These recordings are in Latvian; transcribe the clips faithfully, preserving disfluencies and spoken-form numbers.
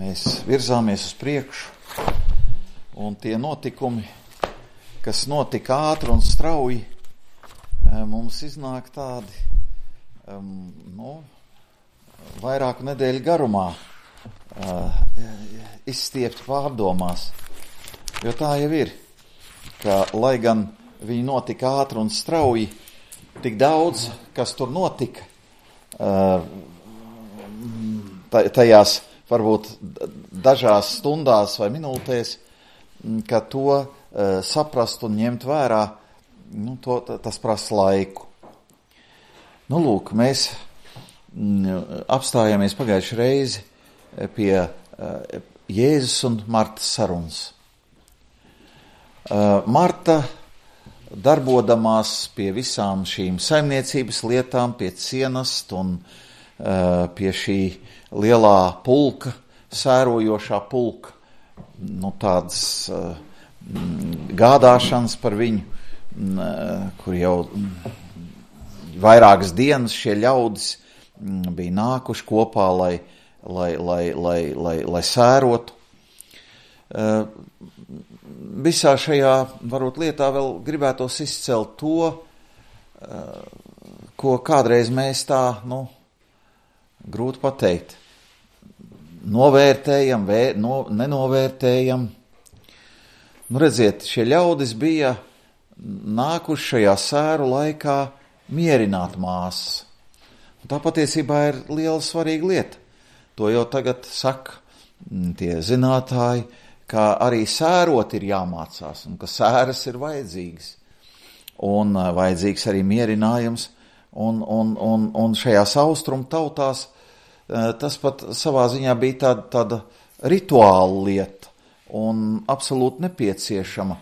mēs virzāmies uz priekšu, un tie notikumi, kas notika ātri un strauji, mums iznāk tādi, um, nu, vairāku nedēļu garumā, uh, izstiepti pārdomās. Jo tā jau ir, ka, lai gan viņi notika ātri un strauji, tik daudz, kas tur notika, uh, tajās varbūt dažās stundās vai minūtēs, ka to uh, saprast un ņemt vērā, nu, to, tas prasa laiku. Nu, lūk, mēs mm, apstājāmies pagājuši reizi pie uh, Jēzus un Martas sarunas. Uh, Marta, darbodamās pie visām šīm saimniecības lietām, pie cienast un uh, pie šī lielā pulka, sērojošā pulka, nu, tādas uh, gādāšanas par viņu, kur jau vairākas dienas šie ļaudis bija nākuši kopā, lai, lai, lai, lai, lai, lai sērotu. Visā šajā, varbūt, lietā vēl gribētos izcelt to, ko kādreiz mēs tā, nu, grūti pateikt, novērtējam, vēr, no, nenovērtējam. Nu, redziet, šie ļaudis bija nākuši šajā sēru laikā mierināt māsas. Un tā patiesībā ir liela svarīga lieta. To jau tagad saka tie zinātāji, ka arī sērot ir jāmācās un ka sēras ir vajadzīgas. Un vajadzīgs arī mierinājums. Un, un, un, un šajās austrumu tautās tas pat savā ziņā bija tāda, tāda rituāla lieta un absolūti nepieciešama.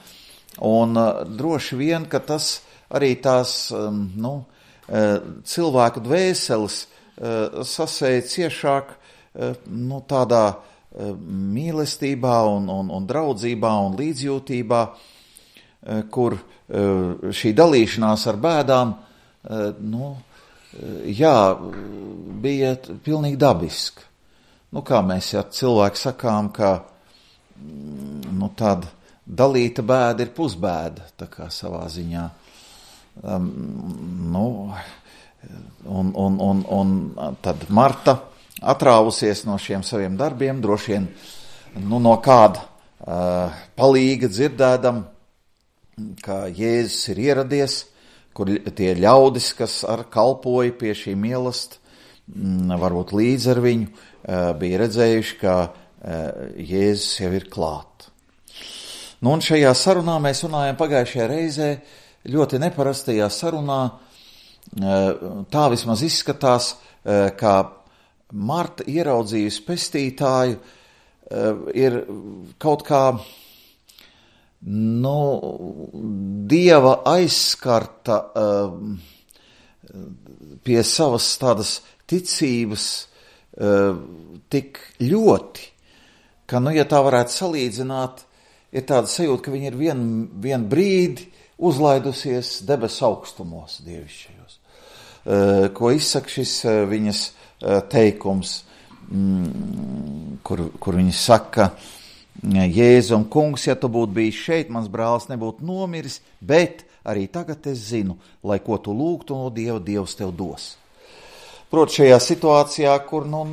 Un uh, droši vien, ka tas arī tās um, nu, uh, cilvēku dvēseles uh, sasēja ciešāk uh, nu, tādā uh, mīlestībā un, un, un draudzībā un līdzjūtībā, uh, kur uh, šī dalīšanās ar bēdām uh, nu, uh, jā, bija pilnīgi dabiska. Nu, kā mēs ja cilvēki sakām, ka nu, tāda dalīta bēda ir pusbēda, tā kā savā ziņā. Um, nu, un, un, un, un tad Marta atrāvusies no šiem saviem darbiem, droši vien nu, no kāda uh, palīga dzirdēdam, ka Jēzus ir ieradies, kur tie ļaudis, kas ar kalpoja pie šī mīlest, m, varbūt līdz ar viņu, uh, bija redzējuši, ka uh, Jēzus jau ir klāt. Nu, un šajā sarunā mēs runājam pagājušajā reizē, ļoti neparastajā sarunā, tā vismaz izskatās, kā Marta ieraudzījusi pestītāju, ir kaut kā, nu, Dieva aizskarta pie savas tādas ticības tik ļoti, ka, nu, ja tā varētu salīdzināt, ir tāda sajūta, ka viņa ir vien, vien brīdi uzlaidusies debesu augstumos dievišķajos. Uh, ko izsaka šis uh, viņas uh, teikums, mm, kur, kur viņa saka, Jēzum, kungs, ja tu būtu bijis šeit, mans brālis nebūtu nomiris, bet arī tagad es zinu, lai ko tu lūgtu no Dieva, Dievs tev dos. Proti šajā situācijā, kur nu,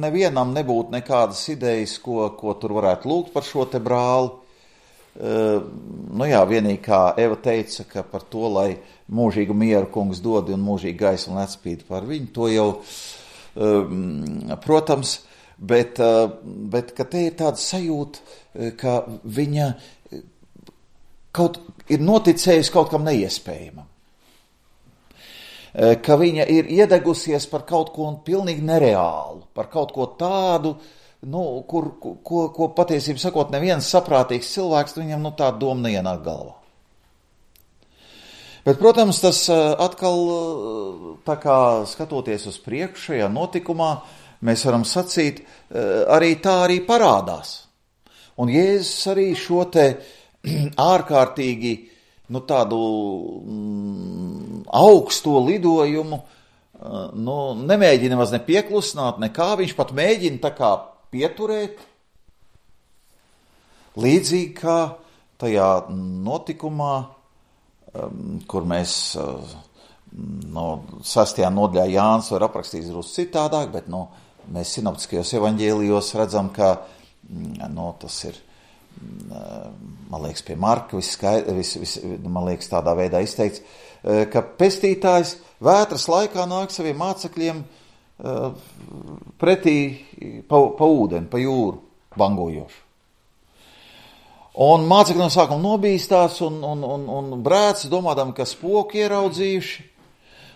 nevienam nebūtu nekādas idejas, ko, ko tur varētu lūgt par šo te brāli, Uh, nu jā, vienīgi kā Eva teica, ka par to, lai mūžīgu mieru kungs dod un mūžīgu gaismu un atspīd par viņu, to jau, uh, protams, bet, uh, bet ka te ir tāda sajūta, ka viņa kaut ir noticējusi kaut kam neiespējamam. Uh, ka viņa ir iedegusies par kaut ko pilnīgi nereālu, par kaut ko tādu, nu, kur, ko, ko patiesībā sakot, neviens saprātīgs cilvēks, viņam nu, tāda doma neienāk galvā. Bet, protams, tas atkal, tā kā skatoties uz priekšu šajā notikumā, mēs varam sacīt, arī tā arī parādās. Un Jēzus arī šo te ārkārtīgi, nu, tādu mm, augsto lidojumu, nu, nemēģina maz ne pieklusināt, nekā viņš pat mēģina tā kā pieturēt, līdzīgi kā tajā notikumā, um, kur mēs uh, no sastajā nodaļā Jānis var aprakstīt drusku citādāk, bet no, mēs sinoptiskajos evaņģēlijos redzam, ka no, tas ir, man liekas, pie Marka vis, vis, vis, man liekas, tādā veidā izteikts, ka pestītājs vētras laikā nāk saviem mācekļiem pretī pa, pa ūdeni, pa jūru bangojošu. Un mācekļi no sākuma nobīstās un, un, un, un brēc, domādami, ka spoki ieraudzījuši.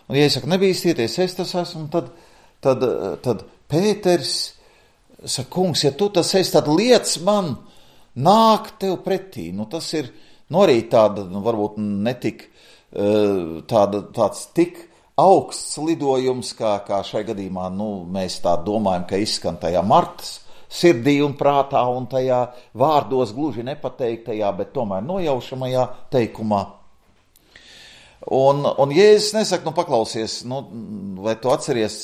Un, ja es saku, nebīstieties, es tas esmu, tad, tad, tad Pēters saka, kungs, ja tu tas esi, tad liec man nāk tev pretī. Nu, tas ir, nu, arī tāda, nu, varbūt netik, tāda, tāds tik augsts lidojums, kā, kā šai gadījumā, nu, mēs tā domājam, ka izskan tajā Martas sirdī un prātā un tajā vārdos gluži nepateiktajā, bet tomēr nojaušamajā teikumā. Un, un Jēzus nesaka, nu paklausies, nu, vai tu atceries,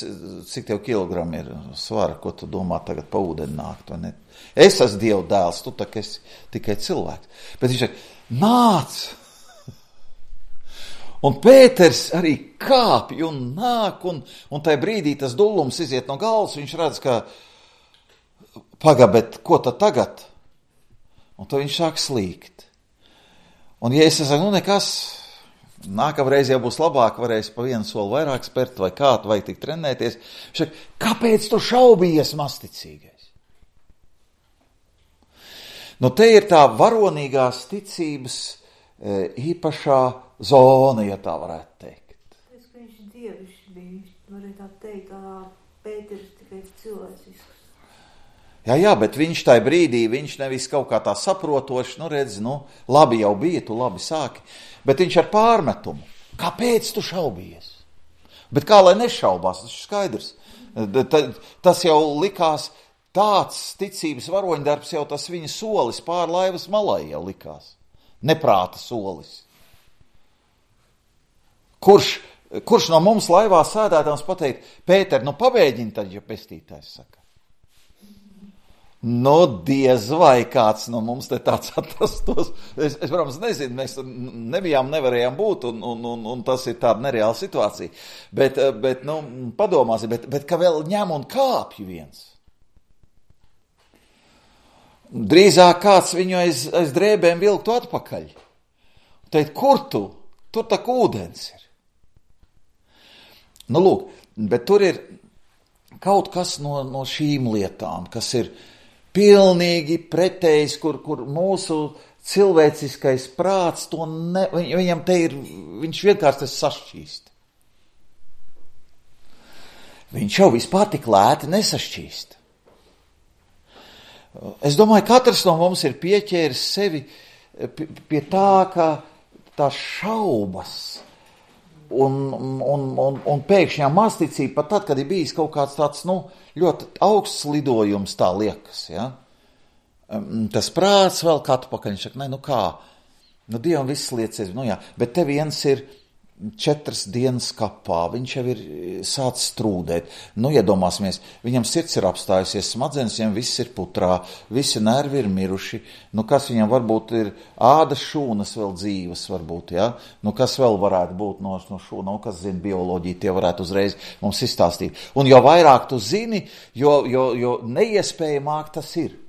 cik tev kilogramu ir svara, ko tu domā tagad pa ūdeni nākt, vai ne? Es esmu Dieva dēls, tu tak esi tikai cilvēks. Bet viņš saka, nāc! Un Pēters arī kāpj un nāk, un, un tajā brīdī tas dullums iziet no galvas, viņš redz, ka pagā, bet ko tad tagad? Un tad viņš sāk slīgt. Un ja es saku, nu nekas, nākamreiz jau būs labāk, varēs pa vienu soli vairāk spērt, vai kā, vai tik trenēties. Viņš saka, kāpēc tu šaubījies, masticīgais? Nu te ir tā varonīgās ticības e, īpašā zona, ja tā varētu teikt. Es, ka viņš dievišķi bija, varētu tā teikt, tā Pēters tikai cilvēcisks. Jā, jā, bet viņš tajā brīdī, viņš nevis kaut kā tā saprotoši, nu redz, nu, labi jau bija, tu labi sāki, bet viņš ar pārmetumu. Kāpēc tu šaubījies? Bet kā lai nešaubās, tas ir skaidrs. Tas jau likās tāds ticības varoņdarbs, jau tas viņa solis pār laivas malai jau likās. Neprāta solis. Kurš, kurš no mums laivā sēdētājs pateikt, Pēter, nu pabēģini tad, ja pestītājs saka. Nu, diez vai kāds no mums te tāds atrastos. Es, es protams, nezinu, mēs nebijām, nevarējām būt, un, un, un, un tas ir tāda nereāla situācija. Bet, bet nu, padomāsim, bet, bet ka vēl ņem un kāpj viens. Drīzāk kāds viņu aiz, aiz drēbēm vilktu atpakaļ. Teikt, kur tu? Tur tak ūdens ir. Nu, lūk, bet tur ir kaut kas no, no šīm lietām, kas ir pilnīgi pretējs, kur, kur mūsu cilvēciskais prāts, to ne, viņam te ir, viņš vienkārši tas sašķīst. Viņš jau vispār tik lēti nesašķīst. Es domāju, katrs no mums ir pieķēris sevi pie tā, ka tā šaubas un, un, un, un pēkšņā masticība, pat tad, kad ir bijis kaut kāds tāds, nu, ļoti augsts lidojums, tā liekas, ja? Tas prāts vēl kādu pakaļ, viņš saka, ne, nu kā, nu Dievam viss lietas, nu jā, bet te viens ir četras dienas kapā, viņš jau ir sācis strūdēt, nu iedomāsimies, viņam sirds ir apstājusies, smadzenes viņam viss ir putrā, visi nervi ir miruši, nu kas viņam varbūt ir ādas šūnas vēl dzīves varbūt, ja, nu kas vēl varētu būt no, no šūna, nu kas zina bioloģiju, tie varētu uzreiz mums izstāstīt, un jo vairāk tu zini, jo, jo, jo neiespējamāk tas ir.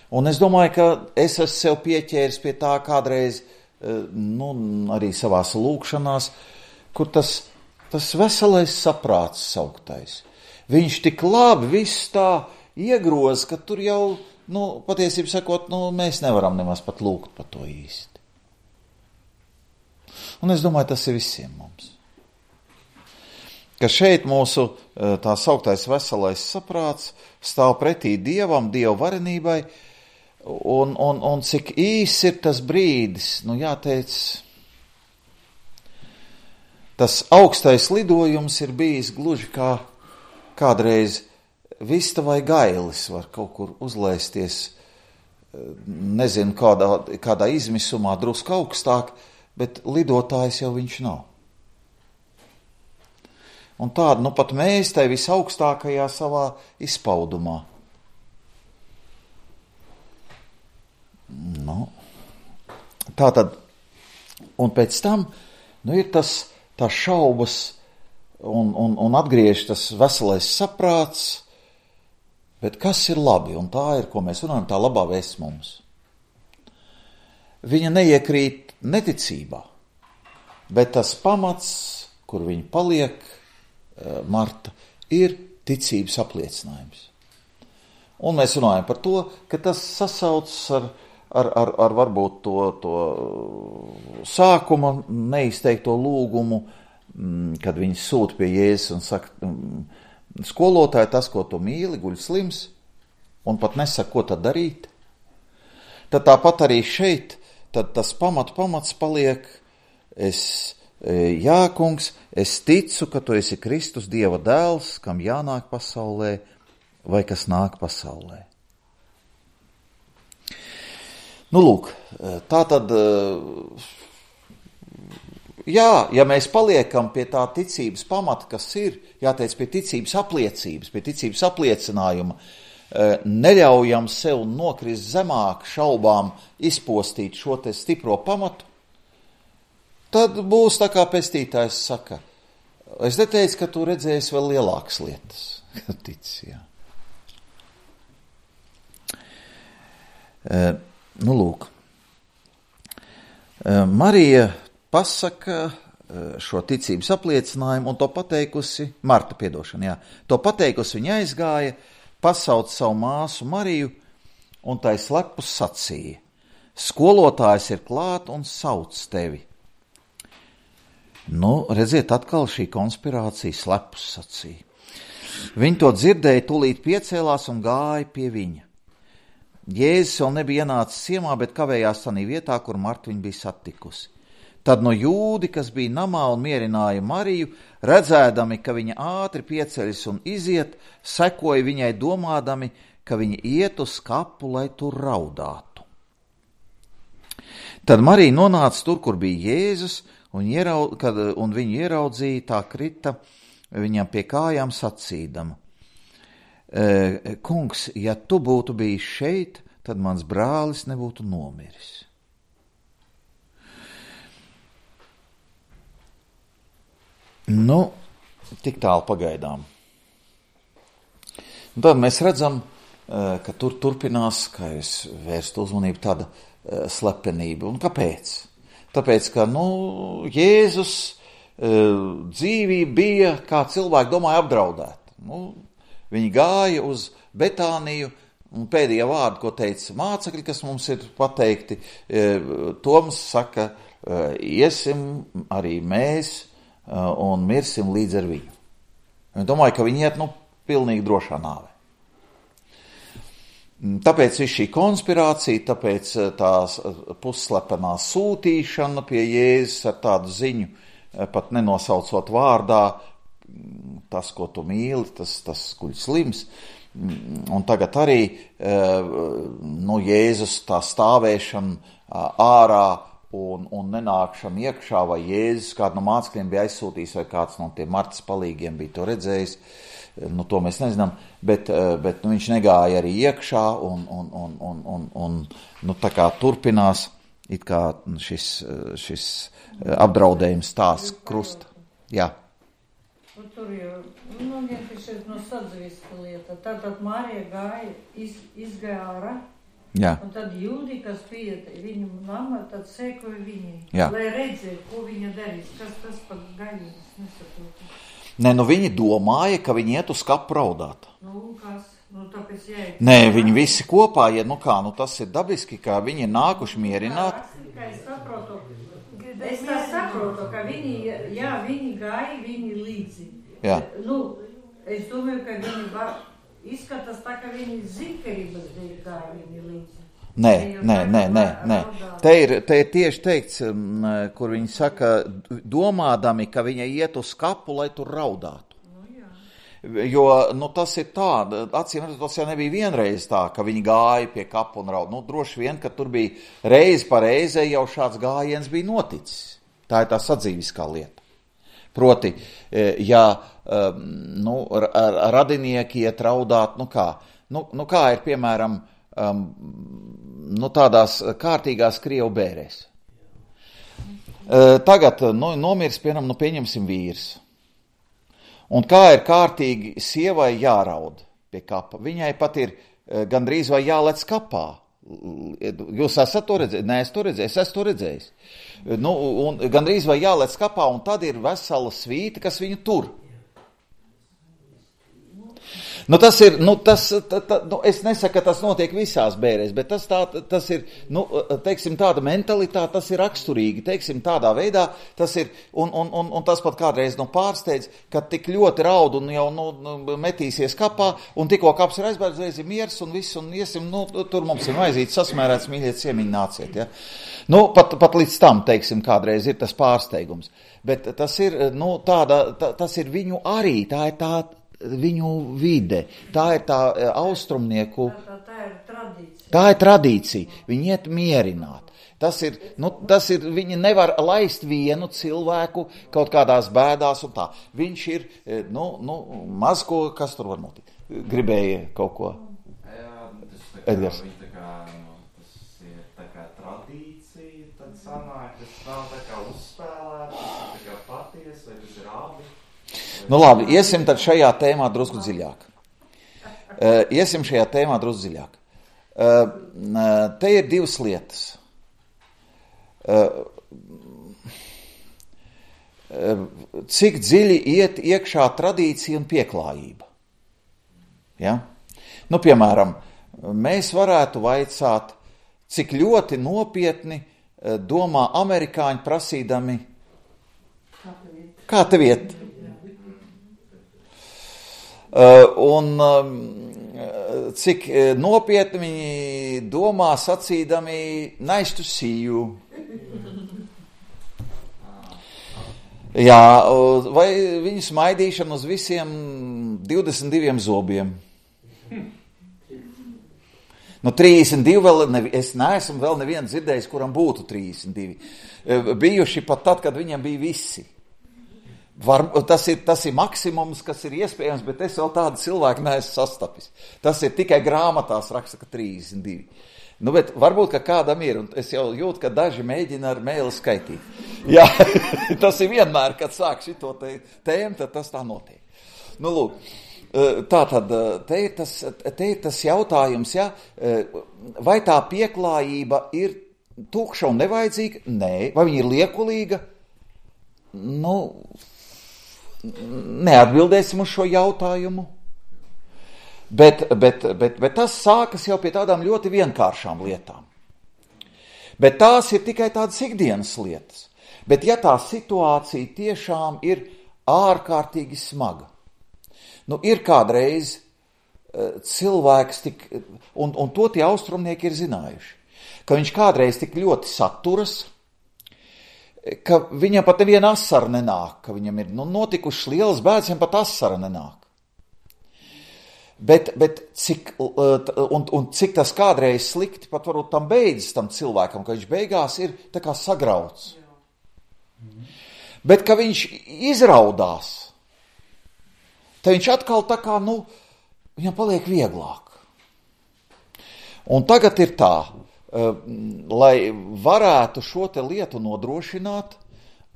Un es domāju, ka es esmu sev pieķēris pie tā kādreiz, nu, arī savās lūkšanās, kur tas, tas veselais saprāts sauktais. Viņš tik labi viss tā iegroz, ka tur jau, nu, patiesībā sakot, nu, mēs nevaram nemaz pat lūgt par to īsti. Un es domāju, tas ir visiem mums. Ka šeit mūsu tā sauktais veselais saprāts stāv pretī Dievam, Dieva varenībai, Un, un, un cik īs ir tas brīdis, nu jāteic, tas augstais lidojums ir bijis gluži kā kādreiz vista vai gailis var kaut kur uzlaisties, nezinu, kādā, kādā izmisumā drusku augstāk, bet lidotājs jau viņš nav. Un tāda, nu pat mēs tai visaugstākajā savā izpaudumā Nu, tā tad, un pēc tam, nu, ir tas, tās šaubas un, un, un atgriež tas veselais saprāts, bet kas ir labi, un tā ir, ko mēs runājam, tā labā vēsts mums. Viņa neiekrīt neticībā, bet tas pamats, kur viņa paliek, Marta, ir ticības apliecinājums. Un mēs runājam par to, ka tas sasaucas ar, ar, ar, ar varbūt to, to sākuma neizteikto lūgumu, kad viņi sūta pie Jēzus un saka, skolotāji, tas, ko tu mīli, guļ slims, un pat nesaka, ko tad darīt. Tad tāpat arī šeit, tad tas pamat, pamats paliek, es, jā, kungs, es ticu, ka tu esi Kristus, Dieva dēls, kam jānāk pasaulē, vai kas nāk pasaulē. Nu, lūk, tā tad, jā, ja mēs paliekam pie tā ticības pamata, kas ir, jāteic, pie ticības apliecības, pie ticības apliecinājuma, neļaujam sev nokrist zemāk šaubām izpostīt šo te stipro pamatu, tad būs tā kā pestītājs saka, es neteicu, ka tu redzēsi vēl lielākas lietas. Tic, jā. E, nu, lūk. E, Marija pasaka šo ticības apliecinājumu un to pateikusi, Marta, piedošana, jā, to pateikusi viņa aizgāja, pasauc savu māsu Mariju un tai slepus sacīja, skolotājs ir klāt un sauc tevi. Nu, redziet, atkal šī konspirācija slepus sacīja. Viņi to dzirdēja, tūlīt piecēlās un gāja pie viņa. Jēzus vēl nebija ienācis ciemā, bet kavējās tanī vietā, kur Marta viņu bija satikusi. Tad no jūdi, kas bija namā un mierināja Mariju, redzēdami, ka viņa ātri pieceļas un iziet, sekoja viņai domādami, ka viņa iet uz kapu, lai tur raudātu. Tad Marija nonāca tur, kur bija Jēzus, un, ieraud, kad, un viņu ieraudzīja, tā krita viņam pie kājām sacīdama. E, kungs, ja tu būtu bijis šeit, tad mans brālis nebūtu nomiris. Nu, tik tālu pagaidām. Un tad mēs redzam, ka tur turpinās, kā es vērstu uzmanību, tāda slepenība. Un kāpēc? Tāpēc, ka, nu, Jēzus dzīvība bija, kā cilvēki domāja, apdraudēta. Nu, viņi gāja uz Betāniju, un pēdējā vārda, ko teica mācekļi, kas mums ir pateikti, Toms saka, iesim arī mēs un mirsim līdz ar viņu. Viņi domāja, ka viņi iet, nu, pilnīgi drošā nāvē. Tāpēc viss šī konspirācija, tāpēc tās pusslepenā sūtīšana pie Jēzus ar tādu ziņu, pat nenosaucot vārdā, tas, ko tu mīli, tas, tas guļ slims. Un tagad arī, nu, Jēzus tā stāvēšana ārā un, un nenākšana iekšā, vai Jēzus kādu no mācekļiem bija aizsūtījis, vai kāds no tiem Martas palīgiem bija to redzējis, nu, to mēs nezinām, bet, bet nu, viņš negāja arī iekšā un, un, un, un, un, un nu, tā kā turpinās, it kā šis, šis apdraudējums tās krusta. Jā. Un tur jau, nu, vienkārši no sadzīviska lieta. Tātad Marija gāja, iz, izgāja ārā, jā. Un tad jūdi, kas bija viņu nama, tad sekoja viņai, jā. Lai redzēja, ko viņa darīs, kas tas pat gaļības nesaprotu. Nē, nu viņi domāja, ka viņi iet uz kapu raudāt. Nu, kas? Nu, tāpēc jāiet. Nē, viņi visi kopā iet, nu kā, nu tas ir dabiski, ka viņi ir nākuši mierināt. Kā es saprotu, es tā saprotu, ka viņi, jā, viņi gāja, viņi līdzi. Jā. Nu, es domāju, ka viņi var, izskatās tā, ka viņi zinkarības dēļ gāja viņi līdzi. Nē, nē, nē, nē, nē. Te ir, te ir tieši teikts, kur viņi saka, domādami, ka viņa iet uz kapu, lai tur raudātu. Nu, jā. Jo, nu, tas ir tā, acīm redzot, tas jau nebija vienreiz tā, ka viņi gāja pie kapu un raud. Nu, droši vien, ka tur bija reizi pa reizē jau šāds gājiens bija noticis. Tā ir tā sadzīviskā lieta. Proti, ja, nu, radinieki iet raudāt, nu kā, nu, nu kā ir, piemēram, Um, nu, tādās kārtīgās Krievu bērēs. Tagad nu, nomirs, piemēram, nu pieņemsim vīrs. Un kā ir kārtīgi sievai jāraud pie kapa? Viņai pat ir gandrīz vai jālec kapā. Jūs esat to redzējis? Nē, es to redzēju, es esmu to redzējis. Nu, un gandrīz vai jālec kapā, un tad ir vesela svīta, kas viņu tur. Nu, tas ir, nu, tas, tā, tā, nu, es nesaku, ka tas notiek visās bērēs, bet tas, tā, tas ir, nu, teiksim, tāda mentalitāte, tas ir raksturīgi, teiksim, tādā veidā, tas ir, un, un, un, un tas pat kādreiz, nu, pārsteidz, ka tik ļoti raud un jau, nu, metīsies kapā, un tikko kaps ir aizbērdzējis, ir miers un viss, un iesim, nu, tur mums ir maizīts sasmērēts, mīļiet, ciemiņi nāciet, ja. Nu, pat, pat līdz tam, teiksim, kādreiz ir tas pārsteigums, bet tas ir, nu, tāda, tā, tas ir viņu arī, tā ir tā, viņu vide, tā ir tā austrumnieku, Tā, tā, tā ir tradīcija. Tā ir tradīcija, viņi iet mierināt. Tas ir, nu, tas ir, viņi nevar laist vienu cilvēku kaut kādās bēdās un tā. Viņš ir, nu, nu maz ko, kas tur var notikt. Gribēja kaut ko? Jā, tas tā kā, Edgars. viņi tā kā, nu, tas ir tā kā tradīcija, tad sanāk, tas nav tā kā uzspēlēts, tas ir tā kā paties, vai tas ir abi. Nu labi, iesim tad šajā tēmā drusku dziļāk. Uh, iesim šajā tēmā drusku dziļāk. Uh, te ir divas lietas. Uh, uh, cik dziļi iet iekšā tradīcija un pieklājība? Ja? Nu, piemēram, mēs varētu vaicāt, cik ļoti nopietni uh, domā amerikāņi prasīdami, kā tev iet? Uh, un um, cik nopietni viņi domā sacīdami nice to see you. Jā, vai viņu smaidīšana uz visiem divdesmit diviem zobiem. Nu, trīsdesmit divi vēl, ne, es neesmu vēl nevienu dzirdējis, kuram būtu trīsdesmit divi. Bijuši pat tad, kad viņam bija visi. Var, tas, ir, tas ir maksimums, kas ir iespējams, bet es vēl tādu cilvēku neesmu sastapis. Tas ir tikai grāmatās raksta, ka trīsdesmit divi. Nu, bet varbūt, ka kādam ir, un es jau jūtu, ka daži mēģina ar mēli skaitīt. Jā, tas ir vienmēr, kad sāk šito te, tēmu, tad tas tā notiek. Nu, lūk, tā tad, te ir tas, te ir tas jautājums, ja, vai tā pieklājība ir tukša un nevajadzīga? Nē. Vai viņa ir liekulīga? Nu, neatbildēsim uz šo jautājumu, bet, bet, bet, bet tas sākas jau pie tādām ļoti vienkāršām lietām. Bet tās ir tikai tādas ikdienas lietas. Bet ja tā situācija tiešām ir ārkārtīgi smaga, nu ir kādreiz cilvēks tik, un, un to tie austrumnieki ir zinājuši, ka viņš kādreiz tik ļoti saturas, ka viņam pat neviena asara nenāk, ka viņam ir nu, notikušas lielas bēdas, viņam pat asara nenāk. Bet, bet cik, un, un cik tas kādreiz slikti, pat varbūt tam beidzas tam cilvēkam, ka viņš beigās ir tā kā sagrauts. Bet, ka viņš izraudās, tad viņš atkal tā kā, nu, viņam paliek vieglāk. Un tagad ir tā, lai varētu šo te lietu nodrošināt,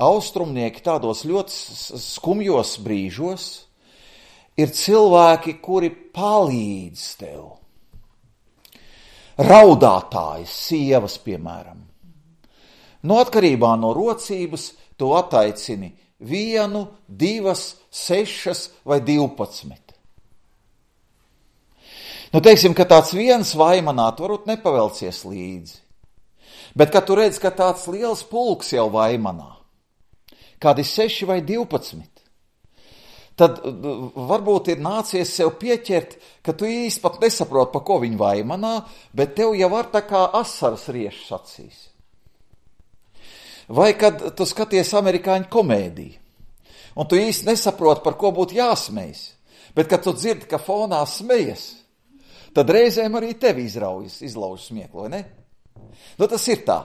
austrumnieki tādos ļoti skumjos brīžos ir cilvēki, kuri palīdz tev. Raudātājas, sievas, piemēram. No atkarībā no rocības tu attaicini vienu, divas, sešas vai divpadsmit. Nu, teiksim, ka tāds viens vaimanāt varbūt nepavelcies līdzi. Bet, kad tu redz, ka tāds liels pulks jau vaimanā, kādi seši vai divpadsmit, tad varbūt ir nācies sev pieķert, ka tu īsti pat nesaproti, pa ko viņi vaimanā, bet tev jau var tā kā asaras riešas acīs. Vai kad tu skaties amerikāņu komēdiju, un tu īsti nesaproti, par ko būtu jāsmejas, bet kad tu dzirdi, ka fonā smejas, tad reizēm arī tevi izraujas, izlauž smieklu, vai ne? Nu, tas ir tā,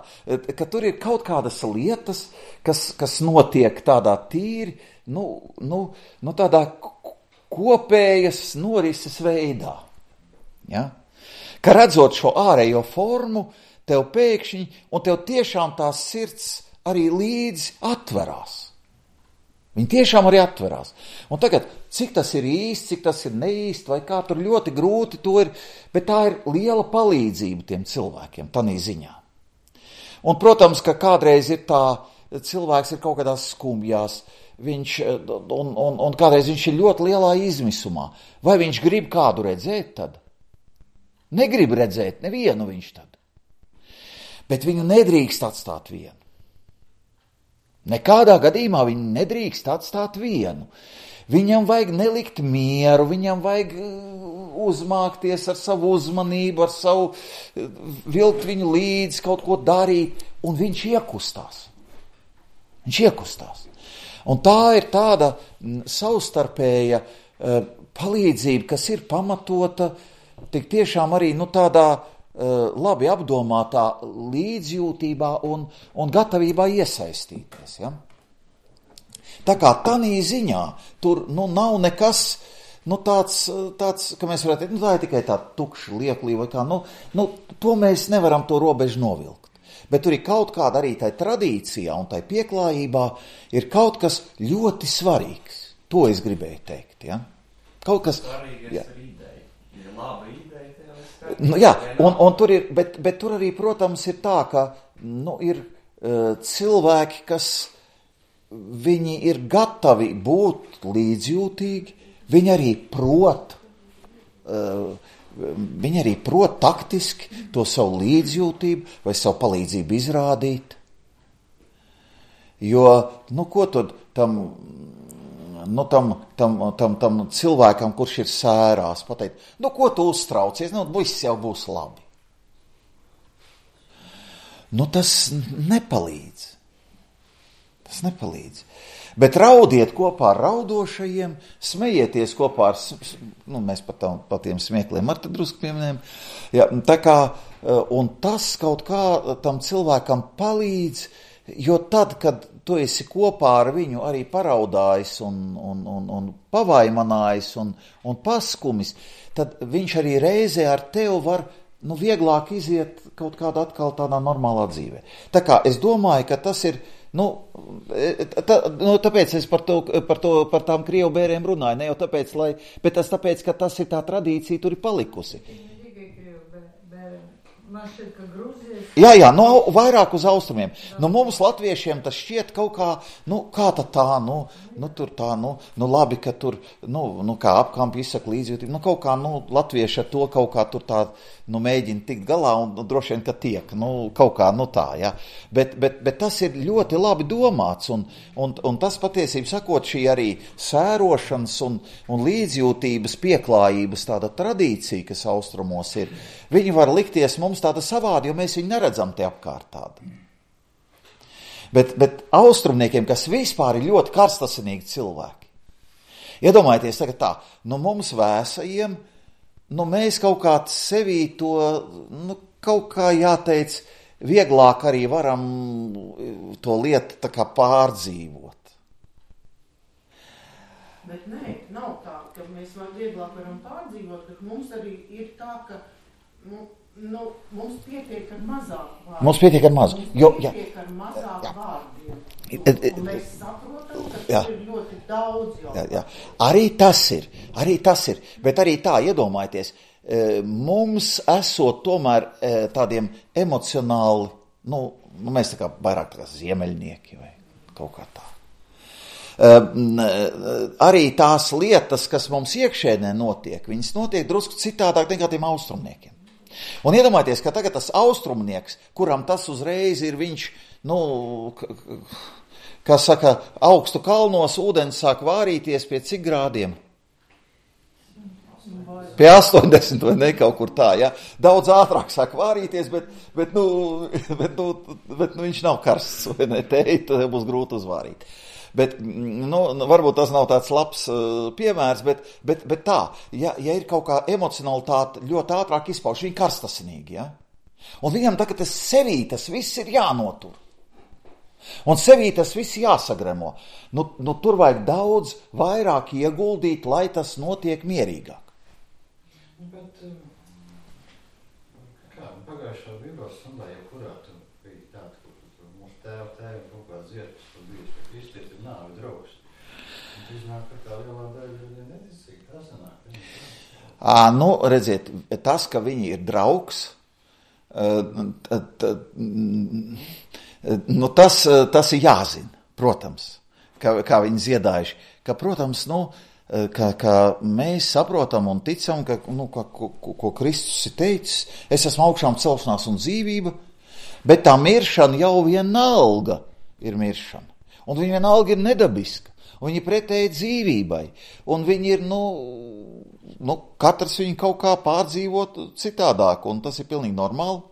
ka tur ir kaut kādas lietas, kas, kas notiek tādā tīri, nu, nu, nu tādā kopējas norises veidā. Ja? ka redzot šo ārējo formu, tev pēkšņi, un tev tiešām tās sirds arī līdzi atverās. Viņi tiešām arī atverās. Un tagad, cik tas ir īsti, cik tas ir neīsti, vai kā tur ļoti grūti to ir, bet tā ir liela palīdzība tiem cilvēkiem, tanī ziņā. Un, protams, ka kādreiz ir tā, cilvēks ir kaut kādās skumjās, viņš, un, un, un kādreiz viņš ir ļoti lielā izmisumā. Vai viņš grib kādu redzēt tad? Negrib redzēt nevienu viņš tad. Bet viņu nedrīkst atstāt vienu. Nekādā gadījumā viņu nedrīkst atstāt vienu. Viņam vajag nelikt mieru, viņam vajag uzmākties ar savu uzmanību, ar savu vilkt viņu līdzi, kaut ko darīt, un viņš iekustās. Viņš iekustās. Un tā ir tāda savstarpēja uh, palīdzība, kas ir pamatota tik tiešām arī nu, tādā uh, labi apdomātā līdzjūtībā un, un gatavībā iesaistīties. Ja? Tā kā tanī ziņā tur nu, nav nekas nu, tāds, tāds, ka mēs varētu teikt, nu, tā ir tikai tā tukša lieklība vai kā, nu, nu, to mēs nevaram to robežu novilkt. Bet tur ir kaut kāda arī tai tradīcijā un tai pieklājībā ir kaut kas ļoti svarīgs. To es gribēju teikt, ja? Kaut kas... Svarīgais jā. Ir ideja. Ir laba ideja, tev ir skaidrs. Nu, jā, un, un tur ir, bet, bet tur arī, protams, ir tā, ka, nu, ir uh, cilvēki, kas viņi ir gatavi būt līdzjūtīgi, viņi arī prot, uh, viņi arī prot taktiski to savu līdzjūtību vai savu palīdzību izrādīt. Jo, nu, ko tad tam, nu, tam, tam, tam, tam cilvēkam, kurš ir sērās, pateikt, nu, ko tu uztraucies, nu, viss jau būs labi. Nu, tas nepalīdz. Tas nepalīdz. Bet raudiet kopā ar raudošajiem, smejieties kopā ar, nu, mēs pat, tam, pat tiem smiekliem ar te drusku pieminējam, ja, tā kā, un tas kaut kā tam cilvēkam palīdz, jo tad, kad tu esi kopā ar viņu arī paraudājis un, un, un, un pavaimanājis un, un paskumis, tad viņš arī reizē ar tevi var, nu, vieglāk iziet kaut kādā atkal tādā normālā dzīvē. Tā kā es domāju, ka tas ir, Nu, tā, nu, tāpēc es par, to, par, to, par tām krievu bēriem runāju, ne jau tāpēc, lai, bet tas tāpēc, ka tas ir tā tradīcija, tur ir palikusi. Man šķiet, ka Grūzijas... Jā, jā, nu, vairāk uz austrumiem. Nu, mums latviešiem tas šķiet kaut kā, nu, kā tā tā, nu, nu, tur tā, nu, nu, labi, ka tur, nu, nu kā apkampi izsaka līdzjūtību, nu, kaut kā, nu, latvieši ar to kaut kā tur tā, nu, mēģina tikt galā un nu, droši vien, ka tiek, nu, kaut kā, nu, tā, jā. Bet, bet, bet tas ir ļoti labi domāts un, un, un tas patiesību sakot šī arī sērošanas un, un līdzjūtības pieklājības tāda tradīcija, kas austrumos ir, viņi var likties mums tāda savādi, jo mēs viņu neredzam te apkārt tādu. Bet, bet austrumniekiem, kas vispār ir ļoti karstasinīgi cilvēki, iedomājieties tagad tā, nu mums vēsajiem, nu mēs kaut kā sevī to, nu kaut kā jāteic, vieglāk arī varam to lietu tā kā pārdzīvot. Bet nē, nav tā, ka mēs var vieglāk varam pārdzīvot, bet mums arī ir tā, ka Nu, nu, mums pietiek ar mazāk vārdiem. Mums pietiek ar mazu. Mums jo, pietiek ar mazāk jā. Vārdiem. Un, un mēs saprotam, ka jā. tas ir ļoti daudz jau. Jā, jā. Arī tas ir, arī tas ir. Bet arī tā, iedomājieties, mums esot tomēr tādiem emocionāli, nu, nu mēs tā kā vairāk tā kā ziemeļnieki vai kaut kā tā. Arī tās lietas, kas mums iekšēnē notiek, viņas notiek drusku citādāk nekā tiem austrumniekiem. Un iedomājieties, ka tagad tas austrumnieks, kuram tas uzreiz ir viņš, nu, kā saka, augstu kalnos ūdens sāk vārīties pie cik grādiem? Pie astoņdesmit vai ne kaut kur tā, ja? Daudz ātrāk sāk vārīties, bet, bet, nu, bet, nu, bet nu, viņš nav karsts, vai ne, te, tad būs grūti uzvārīt. Bet, nu, varbūt tas nav tāds labs uh, piemērs, bet, bet, bet tā, ja, ja ir kaut kā emocionalitāte ļoti ātrāk izpauž, viņi karstasinīgi, ja? Un viņam tagad tas sevī, tas viss ir jānotur. Un sevī tas viss jāsagremo. Nu, nu, tur vajag daudz vairāk ieguldīt, lai tas notiek mierīgāk. Bet pagājušā Bībeles stundā, ja kurā tu biji tāda, kur mūsu tēva tēva kaut kā dzietas, tur bijis, ka Kristies ir nāvi draugs. Un tu iznāk, ka tā lielā daļa ir neticīgi, tā sanāk. À, nu, redziet, tas, ka viņi ir draugs, t, t, nu, tas, tas ir jāzina, protams, kā, kā viņi ziedājuši, ka, protams, nu, ka, ka mēs saprotam un ticam, ka, nu, ka, ko, ko Kristus ir teicis, es esmu augšām celšanās un dzīvība, bet tā miršana jau vienalga ir miršana, un viņa vienalga ir nedabiska, un viņa pretēji dzīvībai, un viņi ir, nu, nu, katrs viņu kaut kā pārdzīvot citādāk, un tas ir pilnīgi normāli,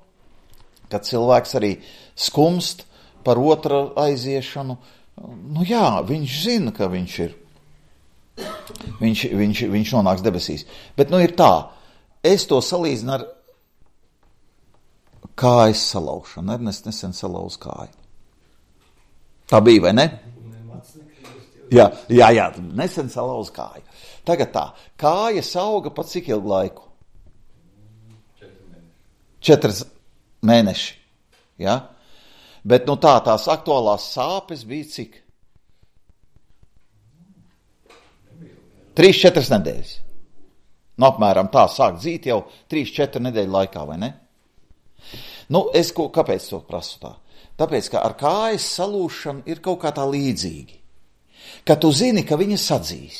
kad cilvēks arī skumst par otra aiziešanu. Nu jā, viņš zina, ka viņš ir, viņš, viņš, viņš nonāks debesīs. Bet nu ir tā, es to salīdzinu ar kājas salaušanu. Ernest nesen salauz kāju. Tā bija, vai ne? Jā, jā, jā, nesen salauz kāju. Tagad tā, kāja sauga pa cik ilgu laiku? Četras mēneši. Ja? Bet nu tā, tās aktuālās sāpes bija cik? Trīs, četras nedēļas. Nu, apmēram tā sāk dzīt jau trīs, četri nedēļu laikā, vai ne? Nu, es ko, kāpēc to prasu tā? Tāpēc, ka ar kājas salūšanu ir kaut kā tā līdzīgi. Ka tu zini, ka viņa sadzīs.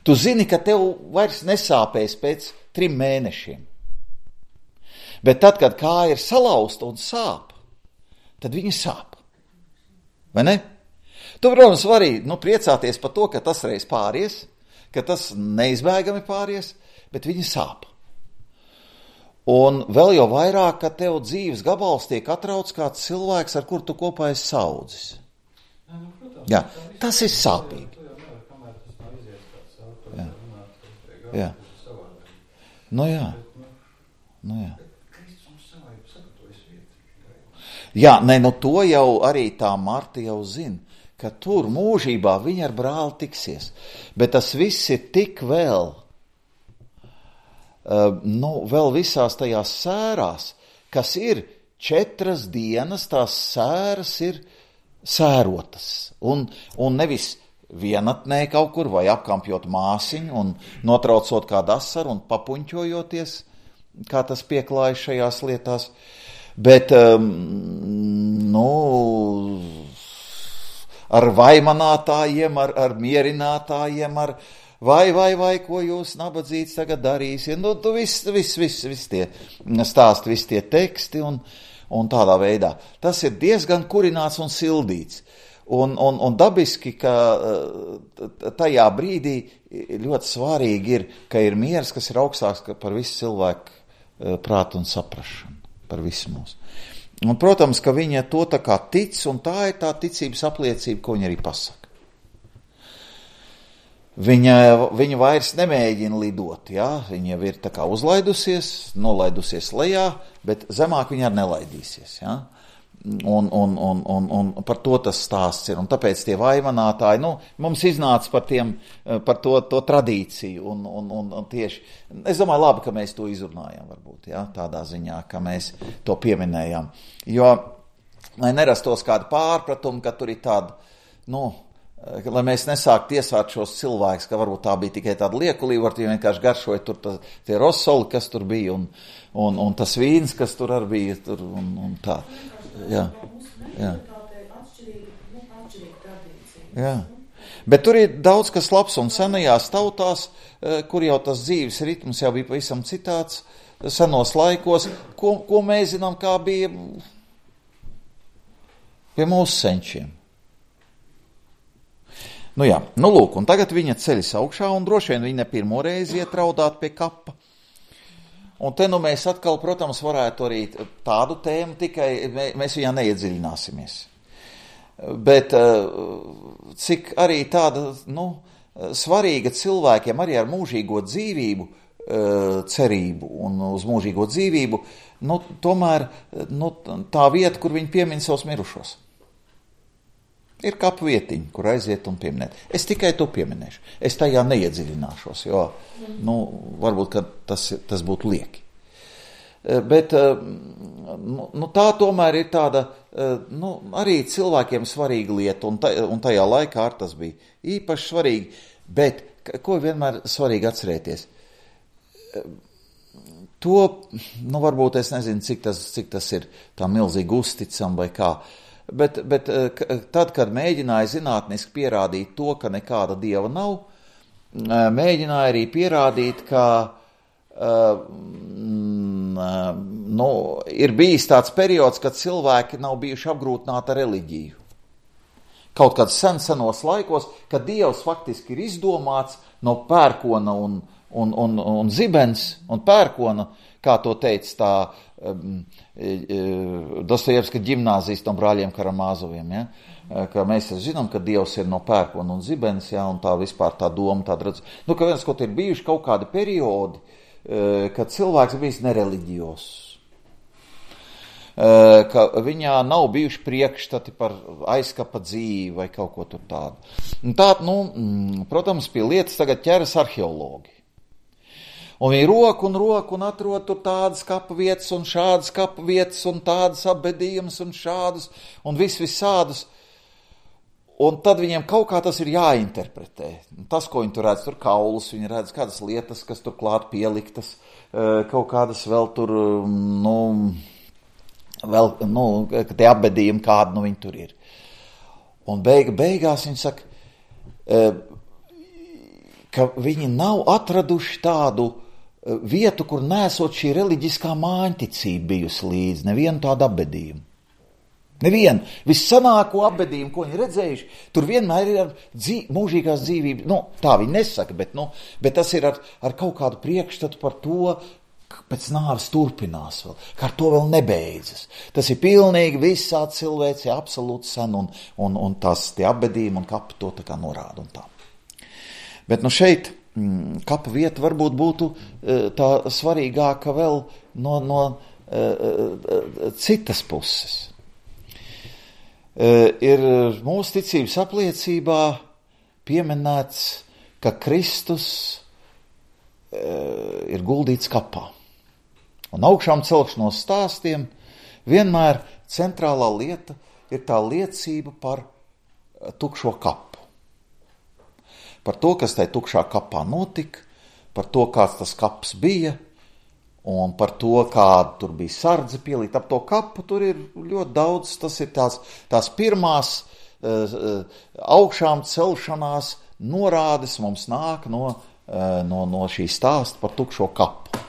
Tu zini, ka tev vairs nesāpēs pēc trim mēnešiem. Bet tad, kad kāja ir salauzta un sāp, tad viņa sāp. Vai ne? Tu, protams, vari nu, priecāties par to, ka tas reiz pāries, ka tas neizbēgami pāries, bet viņa sāp. Un vēl jau vairāk, ka tev dzīves gabals tiek atrauc kāds cilvēks, ar kur tu kopā esi saudzis. Jā, tas ir sāpīgi. Jā. Jā. Nu jā. Nu jā. Jā, ne, nu to jau arī tā Marta jau zina, ka tur mūžībā viņa ar brāli tiksies. Bet tas viss ir tik vēl, uh, nu, vēl visās tajās sērās, kas ir četras dienas, tās sēras ir sērotas. Un, un nevis vienatnē kaut kur vai apkampjot māsiņu un notraucot kādu asaru un papuņķojoties, kā tas pieklājas šajās lietās. Bet, um, nu, ar vaimanātājiem, ar, ar mierinātājiem, ar vai, vai, vai, ko jūs nabadzīts tagad darīsiet. Nu, tu viss, viss, viss, viss tie stāsti, viss tie teksti un, un tādā veidā. Tas ir diezgan kurināts un sildīts. Un, un, un dabiski, ka tajā brīdī ļoti svarīgi ir, ka ir miers, kas ir augstāks par visu cilvēku prātu un saprašanu, par visu mūsu. Un, protams, ka viņa to tā kā tic, un tā ir tā ticības apliecība, ko viņa arī pasaka. Viņa, viņa vairs nemēģina lidot, jā? Viņa jau ir tā kā uzlaidusies, nolaidusies lejā, bet zemāk viņa arī nelaidīsies, jā? Un, un, un, un, un par to tas stāsts ir, un tāpēc tie vaimanātāji, nu, mums iznāca par, tiem, par to, to tradīciju, un, un, un, un tieši, es domāju, labi, ka mēs to izrunājam, varbūt, ja, tādā ziņā, ka mēs to pieminējām, jo, lai nerastos kāda pārpratuma, ka tur ir tāda, nu, lai mēs nesāktu tiesāt šos cilvēkus, ka varbūt tā bija tikai tāda liekulība, varbūt vienkārši garšoja tur tā, tie rosoli, kas tur bija, un, un, un tas vīns, kas tur arī bija, tur, un, un tā. Jā, jā. Jā. Bet tur ir daudz kas labs, un senajās tautās, kur jau tas dzīves ritms jau bija pavisam citāds, senos laikos, ko, ko mēs zinām, kā bija pie mūsu senčiem. Nu jā, nu lūk, un tagad viņa ceļas augšā, un droši vien viņa pirmo reizi iet raudāt pie kapa. Un te nu mēs atkal, protams, varētu arī tādu tēmu, tikai mēs viņā neiedziļināsimies. Bet cik arī tāda, nu, svarīga cilvēkiem arī ar mūžīgo dzīvību, cerību un uz mūžīgo dzīvību, nu, tomēr nu, tā vieta, kur viņi piemin savus mirušos. Ir kapu vietiņa, kur aiziet un pieminēt. Es tikai to pieminēšu. Es tajā neiedziļināšos, jo, nu, varbūt, ka tas, tas būtu lieki. bet nu, nu, tā tomēr ir tāda, nu, arī cilvēkiem svarīga lieta, un, ta, un tajā laikā ar tas bija īpaši svarīgi, bet ko vienmēr svarīgi atcerēties? To, nu, varbūt es nezinu, cik tas, cik tas ir tā milzīgi uzticam vai kā, bet, bet tad, kad mēģināja zinātniski pierādīt to, ka nekāda dieva nav, mēģināja arī pierādīt, ka uh, nu, ir bijis tāds periods, kad cilvēki nav bijuši apgrūtināti ar reliģiju. Kaut kāds sen senos laikos, kad dievs faktiski ir izdomāts no pērkona un Un, un, un zibens un pērkona, kā to teica tā um, Dostojevska ģimnāzijas no brāļiem Karamāzoviem, ja? Ka mēs zinām, ka dievs ir no pērkona un zibens, ja? Un tā vispār tā doma, tāda redz. Nu, ka viens, kaut ir bijuši kaut kādi periodi, kad cilvēks bijis nereliģijos, ka viņā nav bijuši priekšstati par aizkapa dzīvi vai kaut ko tur tādu. Un tā, nu, protams, pie lietas tagad ķeras arheologi. Un viņi roku un roku un atrod tur tādas kapa vietas un šādas kapa vietas un tādas apbedījumus un šādus un vis visādus. Un tad viņiem kaut kā tas ir jāinterpretē. Tas, ko viņi tur redz, tur kaulus, viņi redz kādas lietas, kas tur klāt pieliktas, kaut kādas vēl tur, nu, vēl, nu, tie apbedījumi kādi, nu, viņi tur ir. Un beiga, beigās viņi saka, ka viņi nav atraduši tādu vietu, kur nesot šī reliģiskā māņticība bijusi līdz, nevienu tādu apbedījumu. Nevienu. Vissanāko apbedījumu, ko viņi redzējuši, tur vienmēr ir ar dzīv, mūžīgās dzīvības, nu, tā viņi nesaka, bet, nu, bet tas ir ar, ar kaut kādu priekšstatu par to, ka pēc nāves turpinās vēl, ka ar to vēl nebeidzas. Tas ir pilnīgi visā cilvēci, absolūti sen, un, un, un tās tie apbedījumi un kapi to tā kā norāda un tā. Bet nu šeit kapa vieta varbūt būtu tā svarīgāka vēl no, no citas puses. Ir mūsu ticības apliecībā pieminēts, ka Kristus ir guldīts kapā. Un augšām celšanos stāstiem vienmēr centrālā lieta ir tā liecība par tukšo kapu. Par to, kas tai tukšā kapā notika, par to, kāds tas kaps bija, un par to, kāda tur bija sardze pielīta ap to kapu, tur ir ļoti daudz, tas ir tās, tās pirmās uh, augšām celšanās norādes mums nāk no, uh, no, no šī stāsta par tukšo kapu.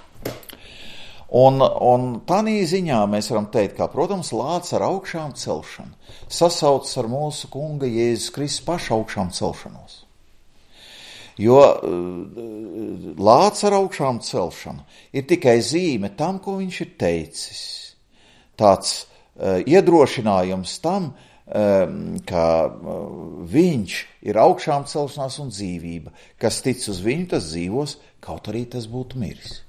Un, un tādā ziņā mēs varam teikt, ka, protams, lācis ar augšām celšanu sasaucas ar mūsu kunga Jēzus Kristus pašu augšām celšanos. Jo lācis ar augšām celšanu ir tikai zīme tam, ko viņš ir teicis. Tāds uh, iedrošinājums tam, uh, ka uh, viņš ir augšām celšanās un dzīvība. Kas tic uz viņu, tas dzīvos, kaut arī tas būtu miris.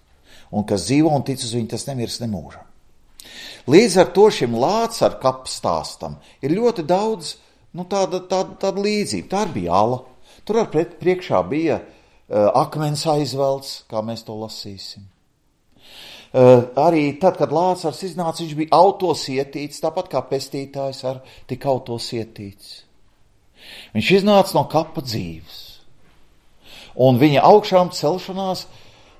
Un kas dzīvo un tic uz viņu, tas nemirs nemūžam. Līdz ar to šim lācis ar kapu stāstam ir ļoti daudz, nu, tāda, tāda, tāda līdzība. Tā bija ala. Tur ar pret, priekšā bija uh, akmens aizvelts, kā mēs to lasīsim. Uh, arī tad, kad Lācars iznāca, viņš bija autos ietīts, tāpat kā pestītājs ar tik autos ietīts. Viņš iznāca no kapa dzīves. Un viņa augšām celšanās